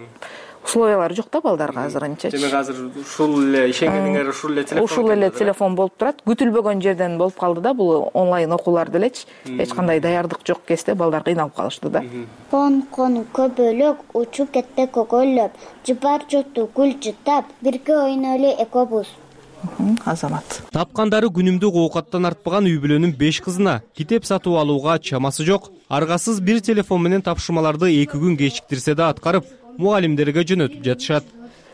Speaker 8: условиялары жок да балдарга азырынча.
Speaker 2: Демек азыр ушул эле ишенгениңер ушул эле телефон.
Speaker 8: Ушул эле телефон болуп турат. Күтүлбөгөн жерден болуп калды да, бул онлайн окуулар делечи. Эч кандай даярдык жок кезде балдар кыйналып калышты да.
Speaker 9: Кон кон көбөлөк учуп кетти көгөлөп, жыпар жуту гүл жытап, бирге ойнолу экобуз.
Speaker 8: Азамат.
Speaker 12: Тапкандары күнүмдүк оокаттан артпаган үй бүлөнүн беш кызына китеп сатып алууга чамасы жок. Аргасыз бир телефон менен тапшырмаларды эки күн кечиктирсе да аткарып, мугалимдерге жөнөтүп жатышат.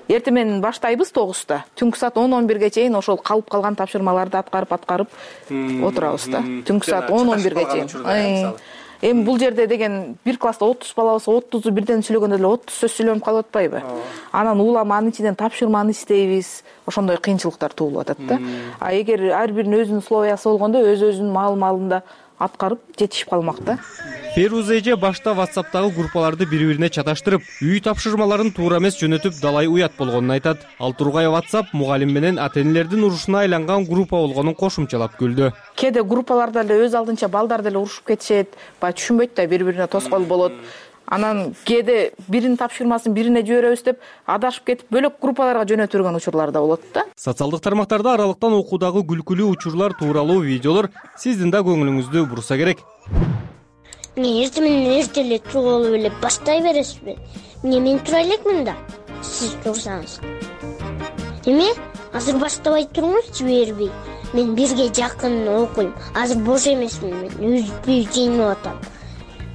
Speaker 8: Эртең менен баштайбыз тогузда. Түнкү саат он он бирге чейин ошол калып калган тапшырмаларды аткарып аткарып отурабыз да. Түнкү саат он он бирге чейин. Эми бул жерде деген бир класста отуз бала болсо, отузу бирден сүйлөгөндө эле отуз сөз сүйлөнүп калып атпайбы? Анан улам анын ичинен тапшырманы издейбиз. Ошондой кыйынчылыктар туулуп атат да. А эгер ар биринин өзүнүн условиясы болгондо өз-өзүнүн маал-маалында аткарып жетишип калмак да.
Speaker 12: Феруза эже башта WhatsApp'тагы группаларды бири-бирине чаташтырып, үй тапшырмаларын туура эмес жөнөтүп далай уят болгонун айтат. Ал тургай WhatsApp мугалим менен ата-энелердин урушуна айланган группа болгонун кошумчалап күлдү.
Speaker 8: Кээде группаларда эле өз алдынча балдар деле урушуп кетишет, баягы түшүнбөйт да, бири-бирине тоскоол болот. Анан кээде биринин тапшырмасын бирине жиберебиз деп адашып кетип бөлөк группаларга жөнөтүлгөн учурлар да болот да.
Speaker 12: Социалдык тармактарда аралыктан окуудагы күлкүлүү учурлар тууралуу видеолор сиздин да көңүлүңүздү бурса керек.
Speaker 9: Мен эртең менен эрте эле туруп алып эле баштай бересизби? Эмне мен тура элекмин да, сиз турсаңыз. Эме? Азыр баштабай туруңуз, жибербей. Мен бирге жакын окуйм. Азыр бош эмесмин, мен үзбөй жеңип атам.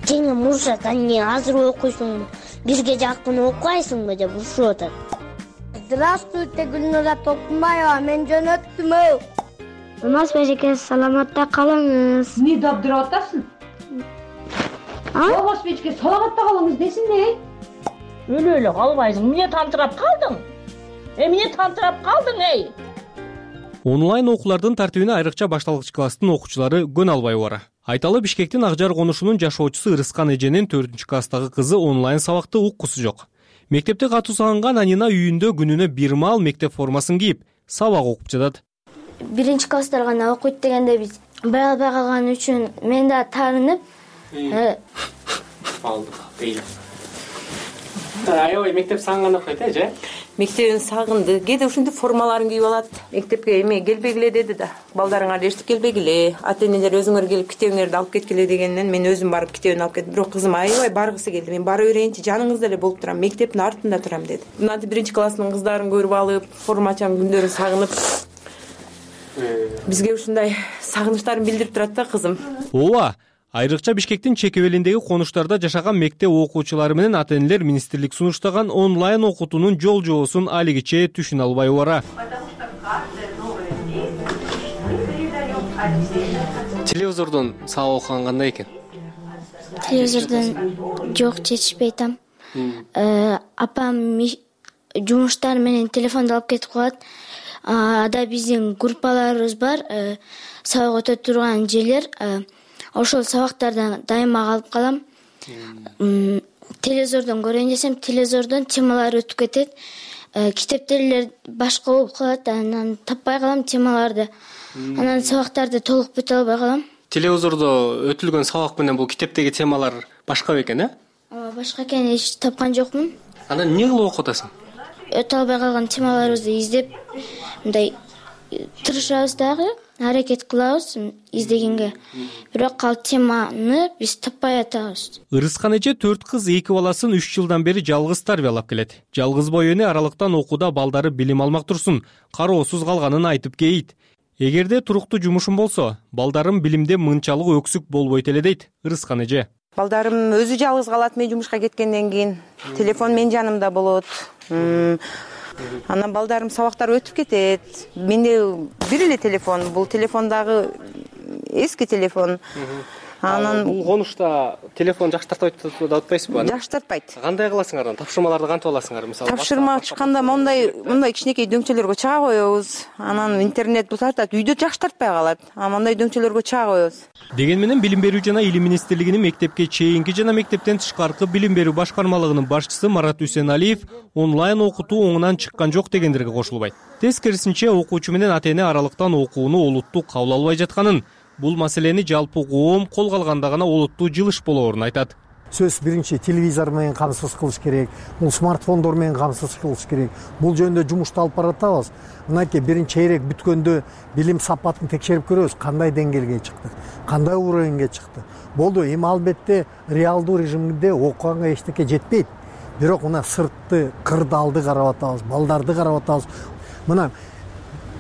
Speaker 9: Жеңим урушат, анне азыр окуйсуңбу? Бирге жакын окуйсуңбу деп урушуп атат. Здравствуйте, Гүлнура Токмаева, мен жөнөттүм. Алмаз Бежеке, саламатта калыңыз.
Speaker 13: Эмне дабдырап атасың? Алмаз Бежеке, саламатта калыңыз десин эй. Өлө-өлө калбайсың. Эмне тантырап калдың? Эмне тантырап калдың эй?
Speaker 12: Онлайн окуулардын тартибине айрыкча башталгыч класстын окуучулары көн албай бара. Айталы Бишкектин Акжар конушунун жашоочусу Ырыскан эженин төртүнчү класстагы кызы онлайн сабакты уккусу жок. Мектепте катуу сагынган Анина үйүндө күнүнө бир маал мектеп формасын кийип, сабак окуп жатат.
Speaker 9: Биринчи класстар гана окуйт дегенде биз бара албай калган үчүн мен да таарынып,
Speaker 2: алдык дейли. Аябай мектеп сагынган окуйт э, же?
Speaker 25: Мектебин сагынды. Кээде ушинтип формаларын кийип алат. Мектепке эме келбегиле деди да. Балдарыңар эчтик келбегиле. Ата-энелер өзүңөр келип китебиңерди алып кеткиле дегенден мен өзүм барып китебин алып кеттим. Бирок кызым аябай баргысы келди. Мен бара берейинчи, жаныңызда эле болуп турам. Мектептин артында турам деди. Мынантип биринчи класстын кыздарын көрүп алып, формачанын күндөрүн сагынып, бизге ушундай сагынычтарын билдирип турат да кызым.
Speaker 12: Ооба. Айрыкча Бишкектин чекебелиндеги конуштарда жашаган мектеп окуучулары менен ата-энелер министрлик сунуштаган онлайн окутуунун жол жобосун алигиче түшүнө албай бара.
Speaker 2: Телевизордон сабак окуган кандай экен?
Speaker 9: Телевизордон жок, жетишпей атам. Апам жумуштар менен телефонду алып кетип калат. Ада биздин группаларыбыз бар, сабак өтө турган жерлер. Ошол сабактардан дайыма калып калам. Телевизордон көрөйүн десем, телевизордон темалар өтүп кетет. Китептерлер башка болуп калат, анан таппай калам темаларды. Анан сабактарды толук бүтө албай калам.
Speaker 2: Телевизордо өтүлгөн сабак менен бул китептеги темалар башка бекен, э?
Speaker 9: Ооба, башка экен, эч тапкан жокмун.
Speaker 2: Анан эмне кылып окуп атасың?
Speaker 9: Өтө албай калган темаларыбызды издеп, мындай тырышабыз дагы, аракет кылабыз издегенге. Бирок ал теманы биз таппай атабыз.
Speaker 12: Ырыскан эже төрт кыз, эки баласын үч жылдан бери жалгыз тарбиялап келет. Жалгыз бой эне аралыктан окууда балдары билим алмак турсун, кароосуз калганын айтып кейит. Эгерде туруктуу жумушум болсо, балдарым билимде мынчалык өксүк болбойт эле дейт Ырыскан эже.
Speaker 25: Балдарым өзү жалгыз калат, мен жумушка кеткенден кийин. Телефон мен жанымда болот. Анан балдарым сабактар өтүп кетет. Менде бир эле телефон, бул телефондагы эски телефон.
Speaker 2: Анан бул конушта телефон жакшы тартпайт деп атпайсызбы?
Speaker 25: Жакшы тартпайт.
Speaker 2: Кандай кыласыңар анан? Тапшырмаларды кантип аласыңар? Мисалы,
Speaker 25: тапшырма чыкканда мондай мондай кичинекей дөңчөлөргө чыга коебуз. Анан интернет бул тартат, үйдө жакшы тартпай калат. А мондай дөңчөлөргө чыга коебуз.
Speaker 12: Деген менен Билим берүү жана Илим министрлигинин мектепке чейинки жана мектептен тышкаркы билим берүү башкармалыгынын башчысы Марат Үсеналиев онлайн окутуу оңунан чыккан жок дегендерге кошулбайт. Тескерисинче, окуучу менен ата-эне аралыктан окууну олуттуу кабыл албай жатканын, бул маселени жалпы коом колго алганда гана олуттуу жылыш болоорун айтат.
Speaker 11: сөзсүз биринчи телевизор менен камсыз кылыш керек, бул смартфондор менен камсыз кылыш керек. Бул жөнүндө жумушту алып баратабыз. Мынакей биринчи чейрек бүткөндө билим сапатын текшерип көрөбүз, кандай деңгээлге чыкты, кандай уровеньге чыкты. Болду, эми албетте реалдуу режимде окуганга эчтеке жетпейт. Бирок мына сыртты, кырдаалды карап атабыз, балдарды карап атабыз. Мына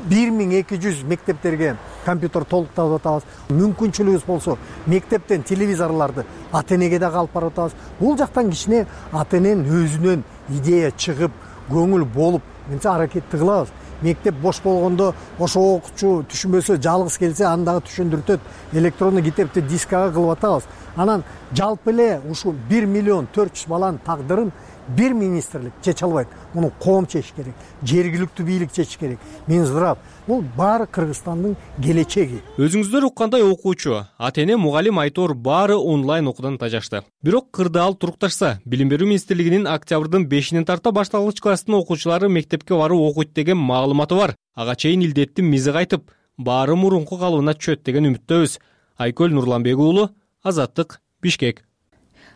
Speaker 11: бир миң эки жүз мектептерге компьютер толуктап атабыз. Мүмкүнчүлүгүбүз болсо мектептен телевизорларды ата энеге да алып барып атабыз. Бул жактан кичине ата эненин өзүнөн идея чыгып, көңүл болуп, менче аракетти кылабыз. Мектеп бош болгондо ошо окуучу түшүнбөсө, жалгыз келсе, аны дагы түшүндүртөт. Электрондук китепти дискага кылып атабыз. Анан жалпы эле ушул бир миллион төрт жүз баланын тагдырын бир министрлик чече албайт. Муну коом чечиш керек, жергиликтүү бийлик чечиш керек. Мен ырап, бул баары Кыргызстандын келечеги.
Speaker 12: Өзүңүздөр уккандай окуучу, ата эне, мугалим, айтор баары онлайн окуудан тажашты. Бирок кырдаал турукташса, Билим берүү министрлигинин октябрдын бешинен тарта башталгыч класстын окуучулары мектепке барып окуйт деген маалыматы бар. Ага чейин илдеттин мизи кайтып, баары мурунку калыбына түшөт деген үмүттөбүз. Айкөл Нурланбек уулу, Азаттык, Бишкек.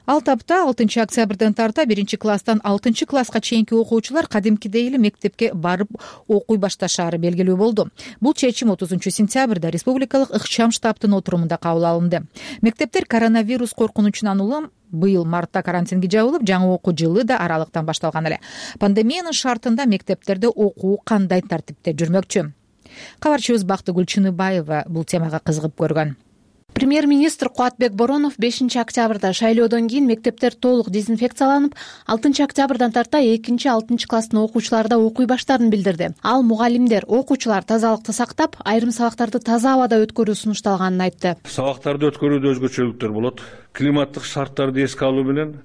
Speaker 1: Ал тапта алтынчы октябрдан тарта биринчи класстан алтынчы класска чейинки окуучулар кадимкидей эле мектепке барып окуй башташаары белгилүү болду. Бул чечим отузунчу сентябрда республикалык ыкчам штабтын отурумунда кабыл алынды. Мектептер коронавирус коркунучунан улам быйыл мартта карантинге жабылып, жаңы окуу жылы да аралыктан башталган эле. Пандемиянын шартында мектептерде окуу кандай тартипте жүрмөкчү? Кабарчыбыз Бактыгүл Чыныбаева бул темага кызыгып көргөн.
Speaker 14: Премьер-министр Кубатбек Боронов бешинчи октябрда шайлоодон кийин мектептер толук дезинфекцияланып, алтынчы октябрдан тарта экинчи алтынчы класстын окуучулары да окуй баштаарын билдирди. Ал мугалимдер, окуучулар тазалыкты сактап, айрым сабактарды таза абада өткөрүү сунушталганын айтты.
Speaker 15: Сабактарды өткөрүүдө өзгөчөлүктөр болот. Климаттык шарттарды эске алуу менен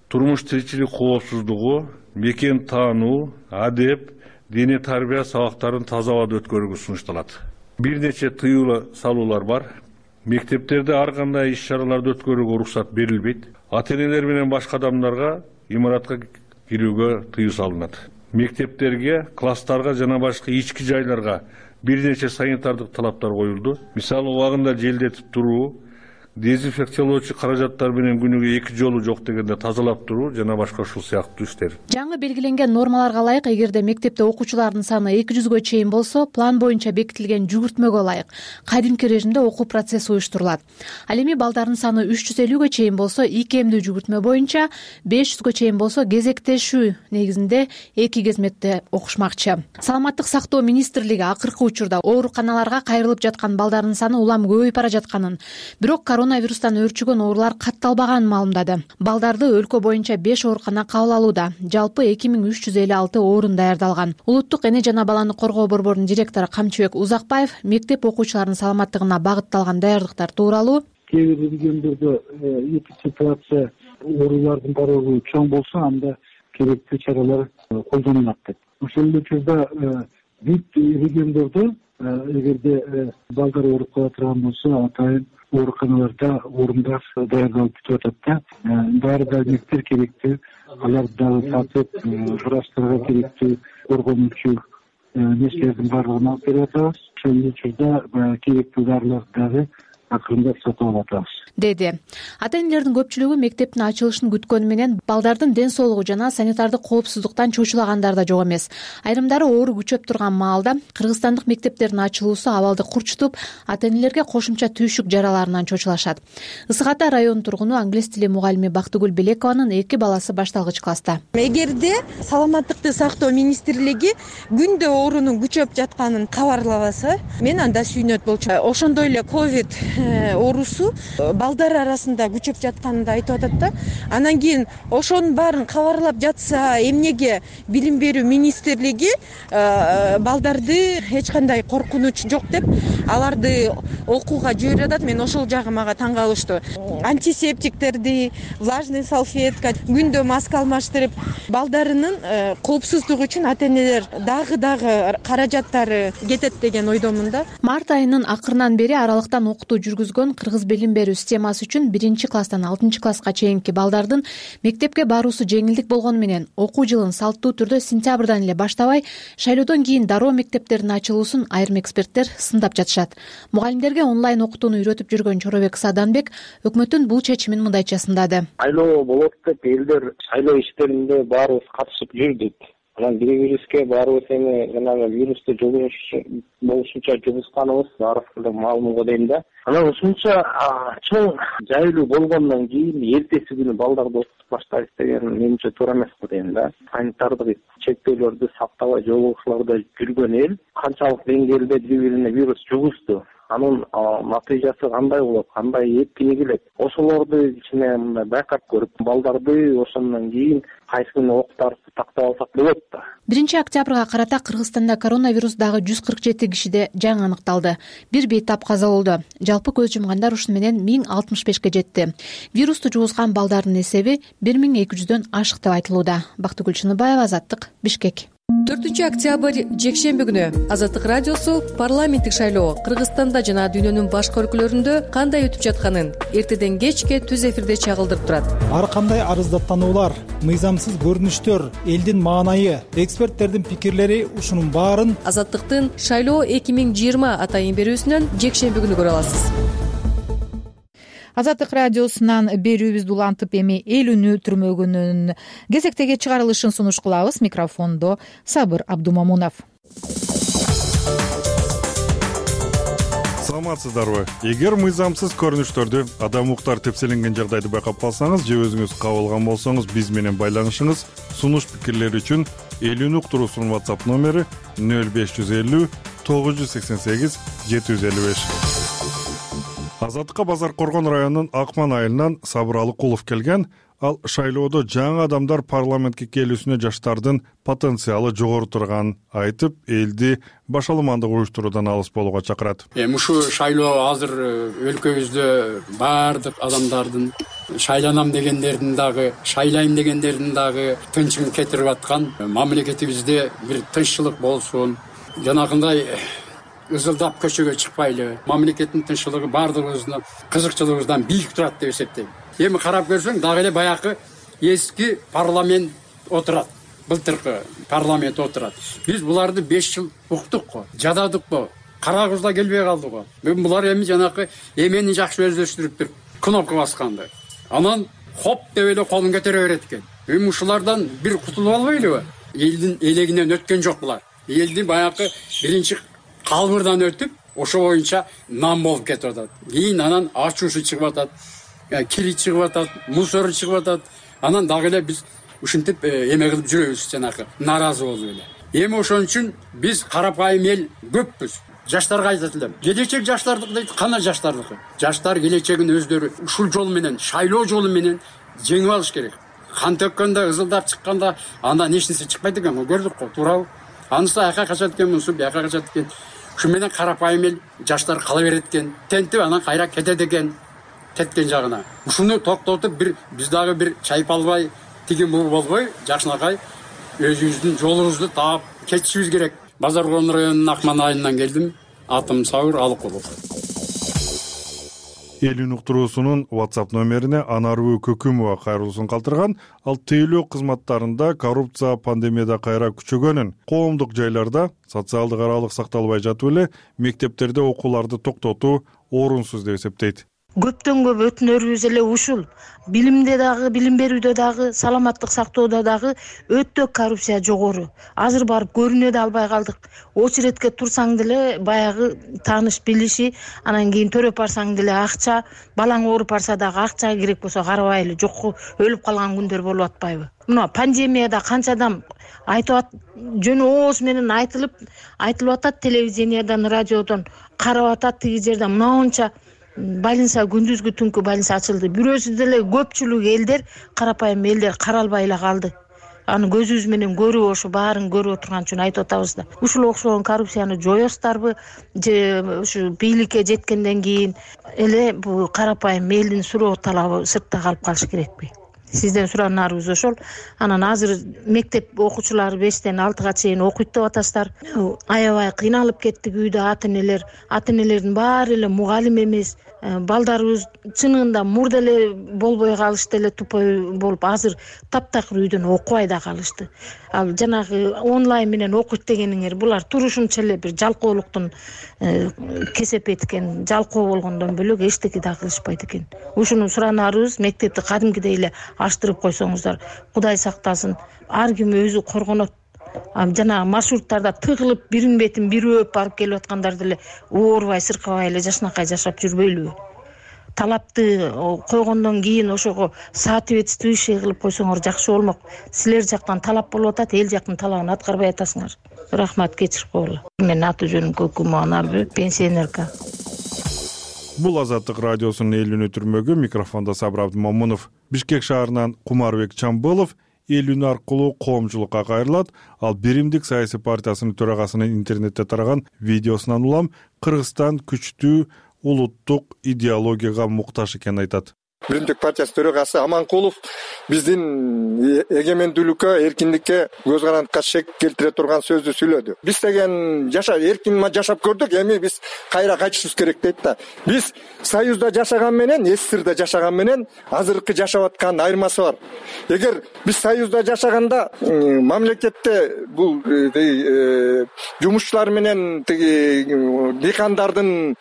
Speaker 15: турмуш тиричилик коопсуздугу, мекен таануу, адеп, дене тарбия сабактарын таза абада өткөрүүгө сунушталат. Бир нече тыюу салуулар бар. Мектептерде ар кандай иш-чараларды өткөрүүгө уруксат берилбейт. Ата энелер менен башка адамдарга имаратка кирүүгө тыюу салынат. Мектептерге, класстарга жана башка ички жайларга бир нече санитардык талаптар коюлду. Мисалы, убагында желдетип туруу, дезинфекциялоочу каражаттар менен күнүгө эки жолу жок дегенде тазалап туруу жана башка ушул сыяктуу иштер.
Speaker 14: Жаңы белгиленген нормаларга ылайык, эгерде мектепте окуучулардын саны эки жүзгө чейин болсо, план боюнча бекитилген жүгүртмөгө ылайык кадимки режимде окуу процесси уюштурулат. Ал эми балдардын саны үч жүз элүүгө чейин болсо, икемдүү жүгүртмө боюнча, беш жүзгө чейин болсо кезектешүү негизинде эки кезмекте окушмакчы. Саламаттык сактоо министрлиги акыркы учурда ооруканаларга кайрылып жаткан балдардын саны улам көбөйүп бара жатканын, бирок коронавирустан өөрчүгөн оорулар катталбаганын маалымдады. Балдарды өлкө боюнча беш оорукана кабыл алууда. Жалпы эки миң үч жүз элүү алты орун даярдалган. Улуттук эне жана баланы коргоо борборунун директору Камчыбек Узакбаев мектеп окуучуларынын саламаттыгына багытталган даярдыктар тууралуу
Speaker 17: кээ бир региондордо эпидемия оорулардын барыбы чоң болсо, анда керектүү чаралар колдонулат деп. Ошол эле учурда бүт региондордо эгерде балдар ооруп кала турган болсо, атайын ооруканаларда орундар даярдалып бүтүп атат да. Баары далилдер керектүү, аларды дагы сатып, врачтарга керектүү коргонуучу нерселердин баардыгын алып берип атабыз. Ошол учурда керектүү дарыларды дагы акырындап сатып алып атабыз,
Speaker 14: деди. Ата энелердин көпчүлүгү мектептин ачылышын күткөнү менен балдардын ден соолугу жана санитардык коопсуздуктан чочулагандар да жок эмес. Айрымдары оору күчөп турган маалда кыргызстандык мектептердин ачылуусу абалды курчутуп, ата энелерге кошумча түйшүк жараларынан чочулашат. Ысык Ата районунун тургуну англис тили мугалими Бактыгүл Белекованын эки баласы башталгыч класста.
Speaker 20: Эгерде саламаттыкты сактоо министрлиги күндө оорунун күчөп жатканын кабарлабаса, мен анда сүйүнөт болчумун. Ошондой эле ковид оорусу балдар арасында күчөп жатканын да айтып атат да. Анан кийин ошонун баарын кабарлап жатса, эмнеге Билим берүү министрлиги балдарды эч кандай коркунуч жок деп аларды окууга жиберип атат? Мен ошол жагы мага таң калыштуу. Антисептиктерди, влажный салфетка, күндө маска алмаштырып, балдарынын коопсуздугу үчүн ата энелер дагы дагы каражаттары кетет деген ойдомун да.
Speaker 14: Март айынын акырынан бери аралыктан окутуу жүргүзгөн Кыргыз Билим берүү системасы үчүн биринчи класстан алтынчы класска чейинки балдардын мектепке баруусу жеңилдик болгону менен окуу жылын салттуу түрдө сентябрдан эле баштабай, шайлоодон кийин дароо мектептердин ачылуусун айрым эксперттер сындап жатышат. Мугалимдерге онлайн окутууну үйрөтүп жүргөн Чоробек Саданбек өкмөттүн бул чечимин мындайча сындады.
Speaker 18: Шайлоо болот деп элдер шайлоо иштеринде баарыбыз катышып жүрдүк. Анан бири-бирибизге баарыбыз эми жанагы вирусту жугуш болушунча жугусканыбыз баарыбызга маалым го дейм да. Анан ушунча чоң жайлуу болгондон кийин эртеси күнү балдарды окутуп баштайбыз деген менимче туура эмес го дейм да. Санитардык чектөөлөрдү сактабай жолугушууларда жүргөн эл канчалык деңгээлде бири-бирине вирус жугузду, анын натыйжасы кандай болот, кандай эппие келет, ошолорду ичине мындай байкап көрүп, балдарды ошондон кийин кайсы күнү окутарыбызды тактап алсак болот да.
Speaker 14: биринчи октябрга карата Кыргызстанда коронавирус дагы жүз кырк жети кишиде жаңы аныкталды. Бир бейтап каза болду. Жалпы көз жумгандар ушуну менен миң алтымыш бешке жетти. Вирусту жугузган балдардын эсеби бир миң эки жүздөн ашык деп айтылууда. Бактыгүл Чыныбаева, Азаттык, Бишкек.
Speaker 19: төртүнчү октябрь жекшемби күнү Азаттык радиосу парламенттик шайлоо Кыргызстанда жана дүйнөнүн башка өлкөлөрүндө кандай өтүп жатканын эртеден кечке түз эфирде чагылдырып турат.
Speaker 5: Ар кандай арыздаттануулар, мыйзамсыз көрүнүштөр, элдин маанайы, эксперттердин пикирлери ушунун баарын
Speaker 19: Азаттыктын шайлоо эки миң жыйырма атайын берүүсүнөн жекшемби күнү көрө аласыз.
Speaker 1: Азаттык радиосунан берүүбүздү улантып эми эл үнү түрмөгүнүн кезектеги чыгарылышын сунуш кылабыз. Микрофондо Сабыр Абдумамунов.
Speaker 21: Саламатсыздарбы? Эгер мыйзамсыз көрүнүштөрдү, адам укуктары тепселенген жагдайды байкап калсаңыз же өзүңүз кабылган болсоңуз, биз менен байланышыңыз. Сунуш пикирлери үчүн эл үнү уктуруусунун WhatsApp номери нөл беш жүз элүү тогуз жүз сексен сегиз жети жүз элүү беш. Азаттыкка Базар Коргон районунун Акман айылынан Сабыр Алыкулов келген. Ал шайлоодо жаңы адамдар парламентке келүүсүнө жаштардын потенциалы жогору турганын айтып, элди башаламандык уюштуруудан алыс болууга чакырат.
Speaker 22: Эми ушу шайлоо азыр өлкөбүздө баардык адамдардын шайланам дегендердин дагы, шайлайм дегендердин дагы тынчын кетирип аткан. Мамлекетибизде бир тынччылык болсун, жанагындай ызылдап көчөгө чыкпайлы, мамлекеттин тынччылыгы баардыгыбыздын кызыкчылыгыбыздан бийик турат деп эсептейм. Эми карап көрсөң, дагы эле баягы эски парламент отурат, былтыркы парламент отурат. Биз буларды беш жыл уктук го, жададык го, карагыбыз да келбей калды го. Мен булар эми жанакы эмени жакшы өздөштүрүптүр, кнопка басканды. Анан хоп деп эле колун көтөрө берет экен. Эми ушулардан бир кутулуп албайлыбы? Элдин элегинен өткөн жок булар. Элдин баягы биринчи калбырдан өтүп, ошо боюнча нам болуп кетип атат. Кийин анан ачуушу чыгып атат, кири чыгып атат, мусору чыгып атат. Анан дагы эле биз ушинтип эме кылып жүрөбүз, жанакы нааразы болуп эле. Эми ошон үчүн биз карапайым эл көппүз. Жаштарга айтат элем. Келечек жаштардыкы дейт, кана жаштардыкы? Жаштар келечегин өздөрү ушул жол менен, шайлоо жолу менен жеңип алыш керек. Кан төккөндө, ызылдап чыкканда андан эч нерсе чыкпайт экен, көрдүк го, туурабы? Анысы аяка качат экен, мунусу бияка качат экен. Ушу менен карапайым эл жаштар кала берет экен. Тентип анан кайра кетет экен, кеткен жагына. Ушуну токтотуп бир биз дагы бир чайып албай, тигин бул болбой, жакшынакай өзүбүздүн жолубузду таап кетишибиз керек. Базар Коргон районунун Акман айылынан келдим. Атым Сабыр Алыкулов.
Speaker 21: Эл үнү уктуруусунун WhatsApp номерине Анарбү Көкүмова кайрылуусун калтырган. Ал тейлөө кызматтарында коррупция пандемияда кайра күчөгөнүн, коомдук жайларда социалдык аралык сакталбай жатып эле мектептерде окууларды токтотуу орунсуз деп эсептейт.
Speaker 23: Көптөн көп өтүнөрүбүз эле ушул. Билимде дагы, билим берүүдө дагы, саламаттык сактоодо дагы өтө коррупция жогору. Азыр барып көрүнө да албай калдык. Очередке турсаң деле баягы тааныш билиши, анан кийин төрөп барсаң деле акча, балаң ооруп барса дагы акча керек болсо карабайлы, жок өлүп калган күндөр болуп атпайбы? Мына пандемияда канча адам айтып жөн ооз менен айтылып, айтылып атат телевидениядан, радиодон, карап атат тиги жерде мынанча больница күндүзгү түнкү больница ачылды. Бирөөсү деле көпчүлүк элдер, карапайым элдер каралбай эле калды. Аны көзүбүз менен көрүп, ошо баарын көрүп отурган үчүн айтып атабыз да. Ушул окшогон коррупцияны жоёсуздарбы же ушу бийликке жеткенден кийин эле бул карапайым элдин суроо талабы сыртта калып калыш керекпи? Сизден суранарыбыз ошол. Анан азыр мектеп окуучулары бештен алтыга чейин окуйт деп атасыздар. Аябай кыйналып кеттик үйдө ата-энелер. Ата-энелердин баары эле мугалим эмес. балдарыбыз чынында мурда эле болбой калышты эле, тупой болуп, азыр таптакыр үйдөн окубай да калышты. Ал жанагы онлайн менен окуйт дегениңер булар турушунча эле бир жалкоолуктун кесепети экен. Жалкоо болгондон бөлөк эчтеке да кылышпайт экен. Ушуну суранарыбыз, мектепти кадимкидей эле аштырып койсоңуздар, Кудай сактасын, ар ким өзү коргонот. Жана маршруттарда тыгылып бирин бетин бири өп барып келип аткандарды эле оорубай, сыркабай эле жашынакай жашап жүрбөйлүбү? Талапты койгондон кийин ошого соответствующий кылып койсоңор жакшы болмок. Силер жактан талап болуп атат, эл жактын талабын аткарбай атасыңар. Рахмат, кечирип койгула. Менин аты жөнүм Көкүмө Анарбек, пенсионерка.
Speaker 21: Бул Азаттык радиосунун элүүнү түрмөгү, микрофондо Сабыр Абдымомунов. Бишкек шаарынан Кумарбек Чамбылов элүүнү аркылуу коомчулукка кайрылат. Ал Биримдик саясий партиясынын төрагасынын интернетте тараган видеосунан улам Кыргызстан күчтүү улуттук идеологияга муктаж экенин айтат.
Speaker 3: Биримдик партиясынын төрагасы Аманкулов биздин эгемендүүлүккө, эркиндикке, көз карандыкка шек келтире турган сөздү сүйлөдү. Биз деген жаша эркин жашап көрдүк, эми биз кайра кайтышыбыз керек дейт да. Биз Союзда жашаган менен, СССРда жашаган менен азыркы жашап аткан айырмасы бар. Эгер биз Союзда жашаганда мамлекетте бул жумушчулар менен тиги дыйкандардын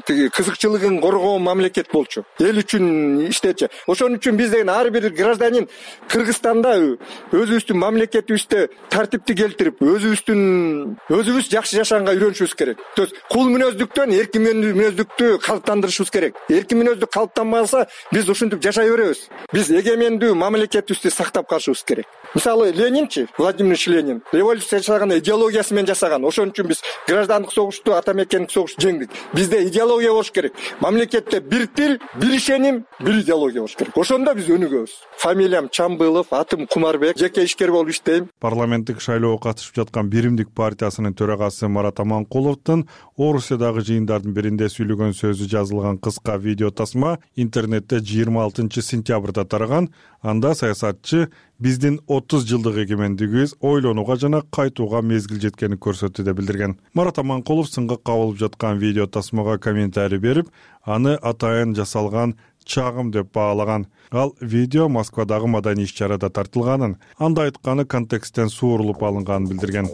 Speaker 3: тиги кызыкчылыгын коргоо мамлекет болчу. Эл үчүн иштечи. Ошон үчүн биз деген ар бир гражданин Кыргызстанда өзүбүздүн мамлекетибизде тартипти келтирип, өзүбүздүн өзүбүз жакшы жашаганга үйрөнүшүбүз керек. То есть кул мүнөздүктөн эркин мүнөздүктү калыптандырышыбыз керек. Эркин мүнөздүк калыптанбаса, биз ушинтип жашай беребиз. Биз эгемендүү мамлекетибизди сактап калышыбыз керек. Мисалы Ленинчи, Владимир Ильич Ленин революция жасаганда идеологиясы менен жасаган. Ошон үчүн биз граждандык согушту, ата мекендик согушту жеңдик. Бизде идеология болуш керек. Мамлекетте бир тил, бир ишеним, бир идеология болуш керек. Ошондо биз өнүгөбүз. Фамилиям Чамбылов, атым Кумарбек, жеке ишкер болуп иштейм.
Speaker 21: Парламенттик шайлоого катышып жаткан Биримдик партиясынын төрагасы Марат Аманкуловдун Орусиядагы жыйындардын биринде сүйлөгөн сөзү жазылган кыска видео тасма интернетте жыйырма алтынчы сентябрда тараган. Анда саясатчы биздин отуз жылдык эгемендигибиз ойлонууга жана кайтууга мезгил жеткенин көрсөттү деп билдирген. Марат Аманкулов сынга кабылып жаткан видео тасмага комментарий берип, аны атайын жасалган чагым деп баалаган. Ал видео Москвадагы маданий иш-чарада тартылганын, анда айтканы контексттен суурулуп алынганын билдирген.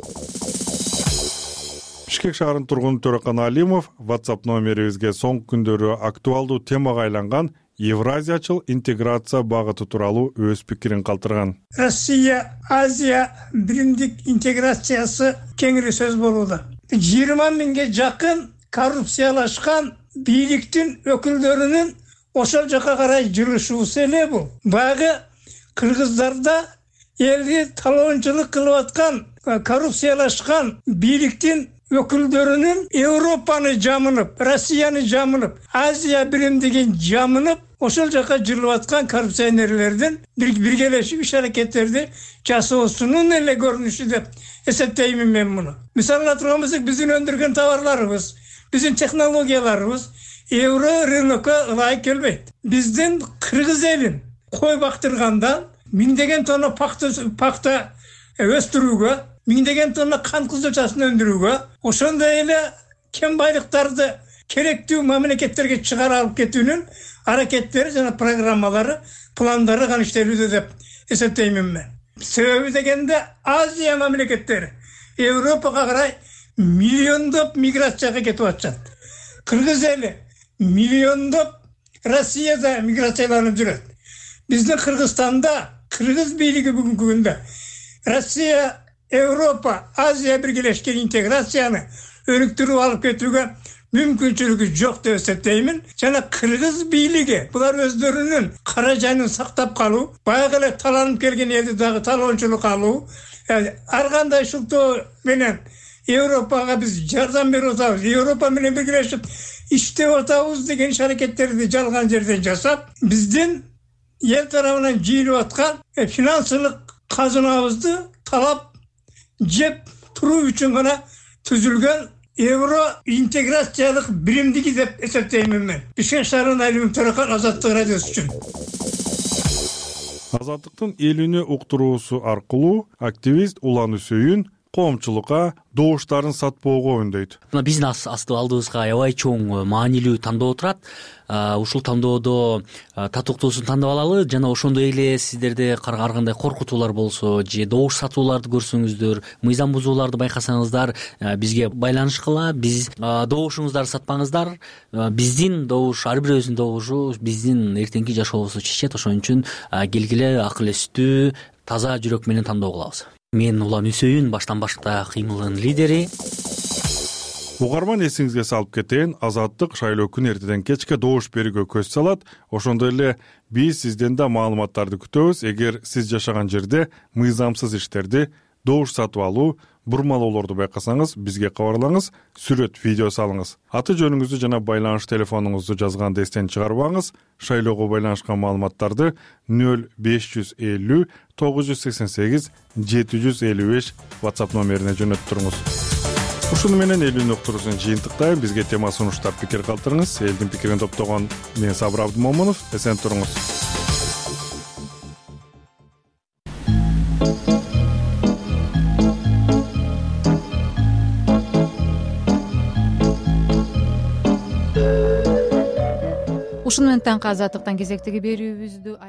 Speaker 21: Бишкек шаарынын тургуну Төрөкан Алимов WhatsApp номерибизге соңку күндөрү актуалдуу темага айланган Евразиячыл интеграция багыты тууралуу өз пикирин калтырган.
Speaker 4: Россия, Азия биримдик интеграциясы кеңири сөз болууда. жыйырма миңге жакын коррупциялашкан бийликтин өкүлдөрүнүн ошол жака карай жүрүшүбүз эле бул. Баягы кыргыздарда элди талоончулук кылып аткан коррупциялашкан бийликтин өкүлдөрүнүн Европаны жамынып, Россияны жамынып, Азия биримдигин жамынып, ошол жака жүрүп аткан коррупционерлердин биргелешип иш-аракеттерди жасоосунун эле көрүнүшү деп эсептеймин мен муну. Мисалга турган болсок, биздин өндүргөн товарларыбыз, биздин технологияларыбыз евро рынокко ылайык келбейт. Биздин кыргыз элин кой бактыргандан миңдеген тонна пакта өстүрүүгө, миңдеген тонна кант кызылчасын өндүрүүгө, ошондой эле кен байлыктарды керектүү мамлекеттерге чыгара алып кетүүнүн аракеттери жана программалары, пландары гана иштелүүдө деп эсептеймин мен. Себеби дегенде Азия мамлекеттери Европага карай миллиондоп миграцияга кетип атышат. Кыргыз эли миллиондоп Россияда миграцияланып жүрөт. Биздин Кыргызстанда кыргыз бийлиги бүгүнкү күндө Россия, Европа, Азия биргелешкен интеграцияны өнүктүрүп алып кетүүгө мүмкүнчүлүгү жок деп эсептеймин. Жана кыргыз бийлиги булар өздөрүнүн каражанын сактап калуу, баягы эле таланып келген элди дагы талоончулук алуу, ар кандай шылтоо менен Европага биз жардам берип атабыз, Европа менен биргелешип иштеп атабыз деген иш-аракеттерди жалган жерден жасап, биздин эл тарабынан жыйылып аткан финансылык казынабызды талап жеп туруу үчүн гана түзүлгөн евро интеграциялык биримдиги деп эсептеймин мен. Бишкек шаарынын Алимов Төрөкан, Азаттык радиосу үчүн.
Speaker 21: Азаттыктын элүүнү уктуруусу аркылуу активист Улан Үсөйүн коомчулукка добуштарын сатпоого үндөйт.
Speaker 6: Мына биздин алдыбызга аябай чоң маанилүү тандоо турат. Ушул тандоодо татыктуусун тандап алалы жана ошондой эле сиздерде ар кандай коркутуулар болсо же добуш сатууларды көрсөңүздөр, мыйзам бузууларды байкасаңыздар, бизге байланышкыла. Биз добушуңуздарды сатпаңыздар. Биздин добуш, ар бирөөбүздүн добушу биздин эртеңки жашообузду чечет. Ошон үчүн келгиле акыл эстүү, таза жүрөк менен тандоо кылабыз. Мен Улан Үсөйүн, баштан башка кыймылдын лидери.
Speaker 21: Угарман, эсиңизге салып кетейин, Азаттык шайлоо күнү эртеден кечке добуш берүүгө көз салат. Ошондой эле биз сизден да маалыматтарды күтөбүз. Эгер сиз жашаган жерде мыйзамсыз иштерди, добуш сатып алуу, бурмалоолорду байкасаңыз, бизге кабарлаңыз, сүрөт, видео салыңыз. Аты жөнүңүздү жана байланыш телефонуңузду жазганды эстен чыгарбаңыз. Шайлоого байланышкан маалыматтарды нөл беш жүз элүү тогуз жүз сексен сегиз жети жүз элүү беш WhatsApp номерине жөнөтүп туруңуз. Ушуну менен элүүнү уктуруусун жыйынтыктайм. Бизге тема сунуштап пикир калтырыңыз. Элдин пикирин топтогон мен Сабыр Абдымомунов. Эсен туруңуз.
Speaker 1: Ушуну менен таңкы Азаттыктан кезектеги берүүбүздү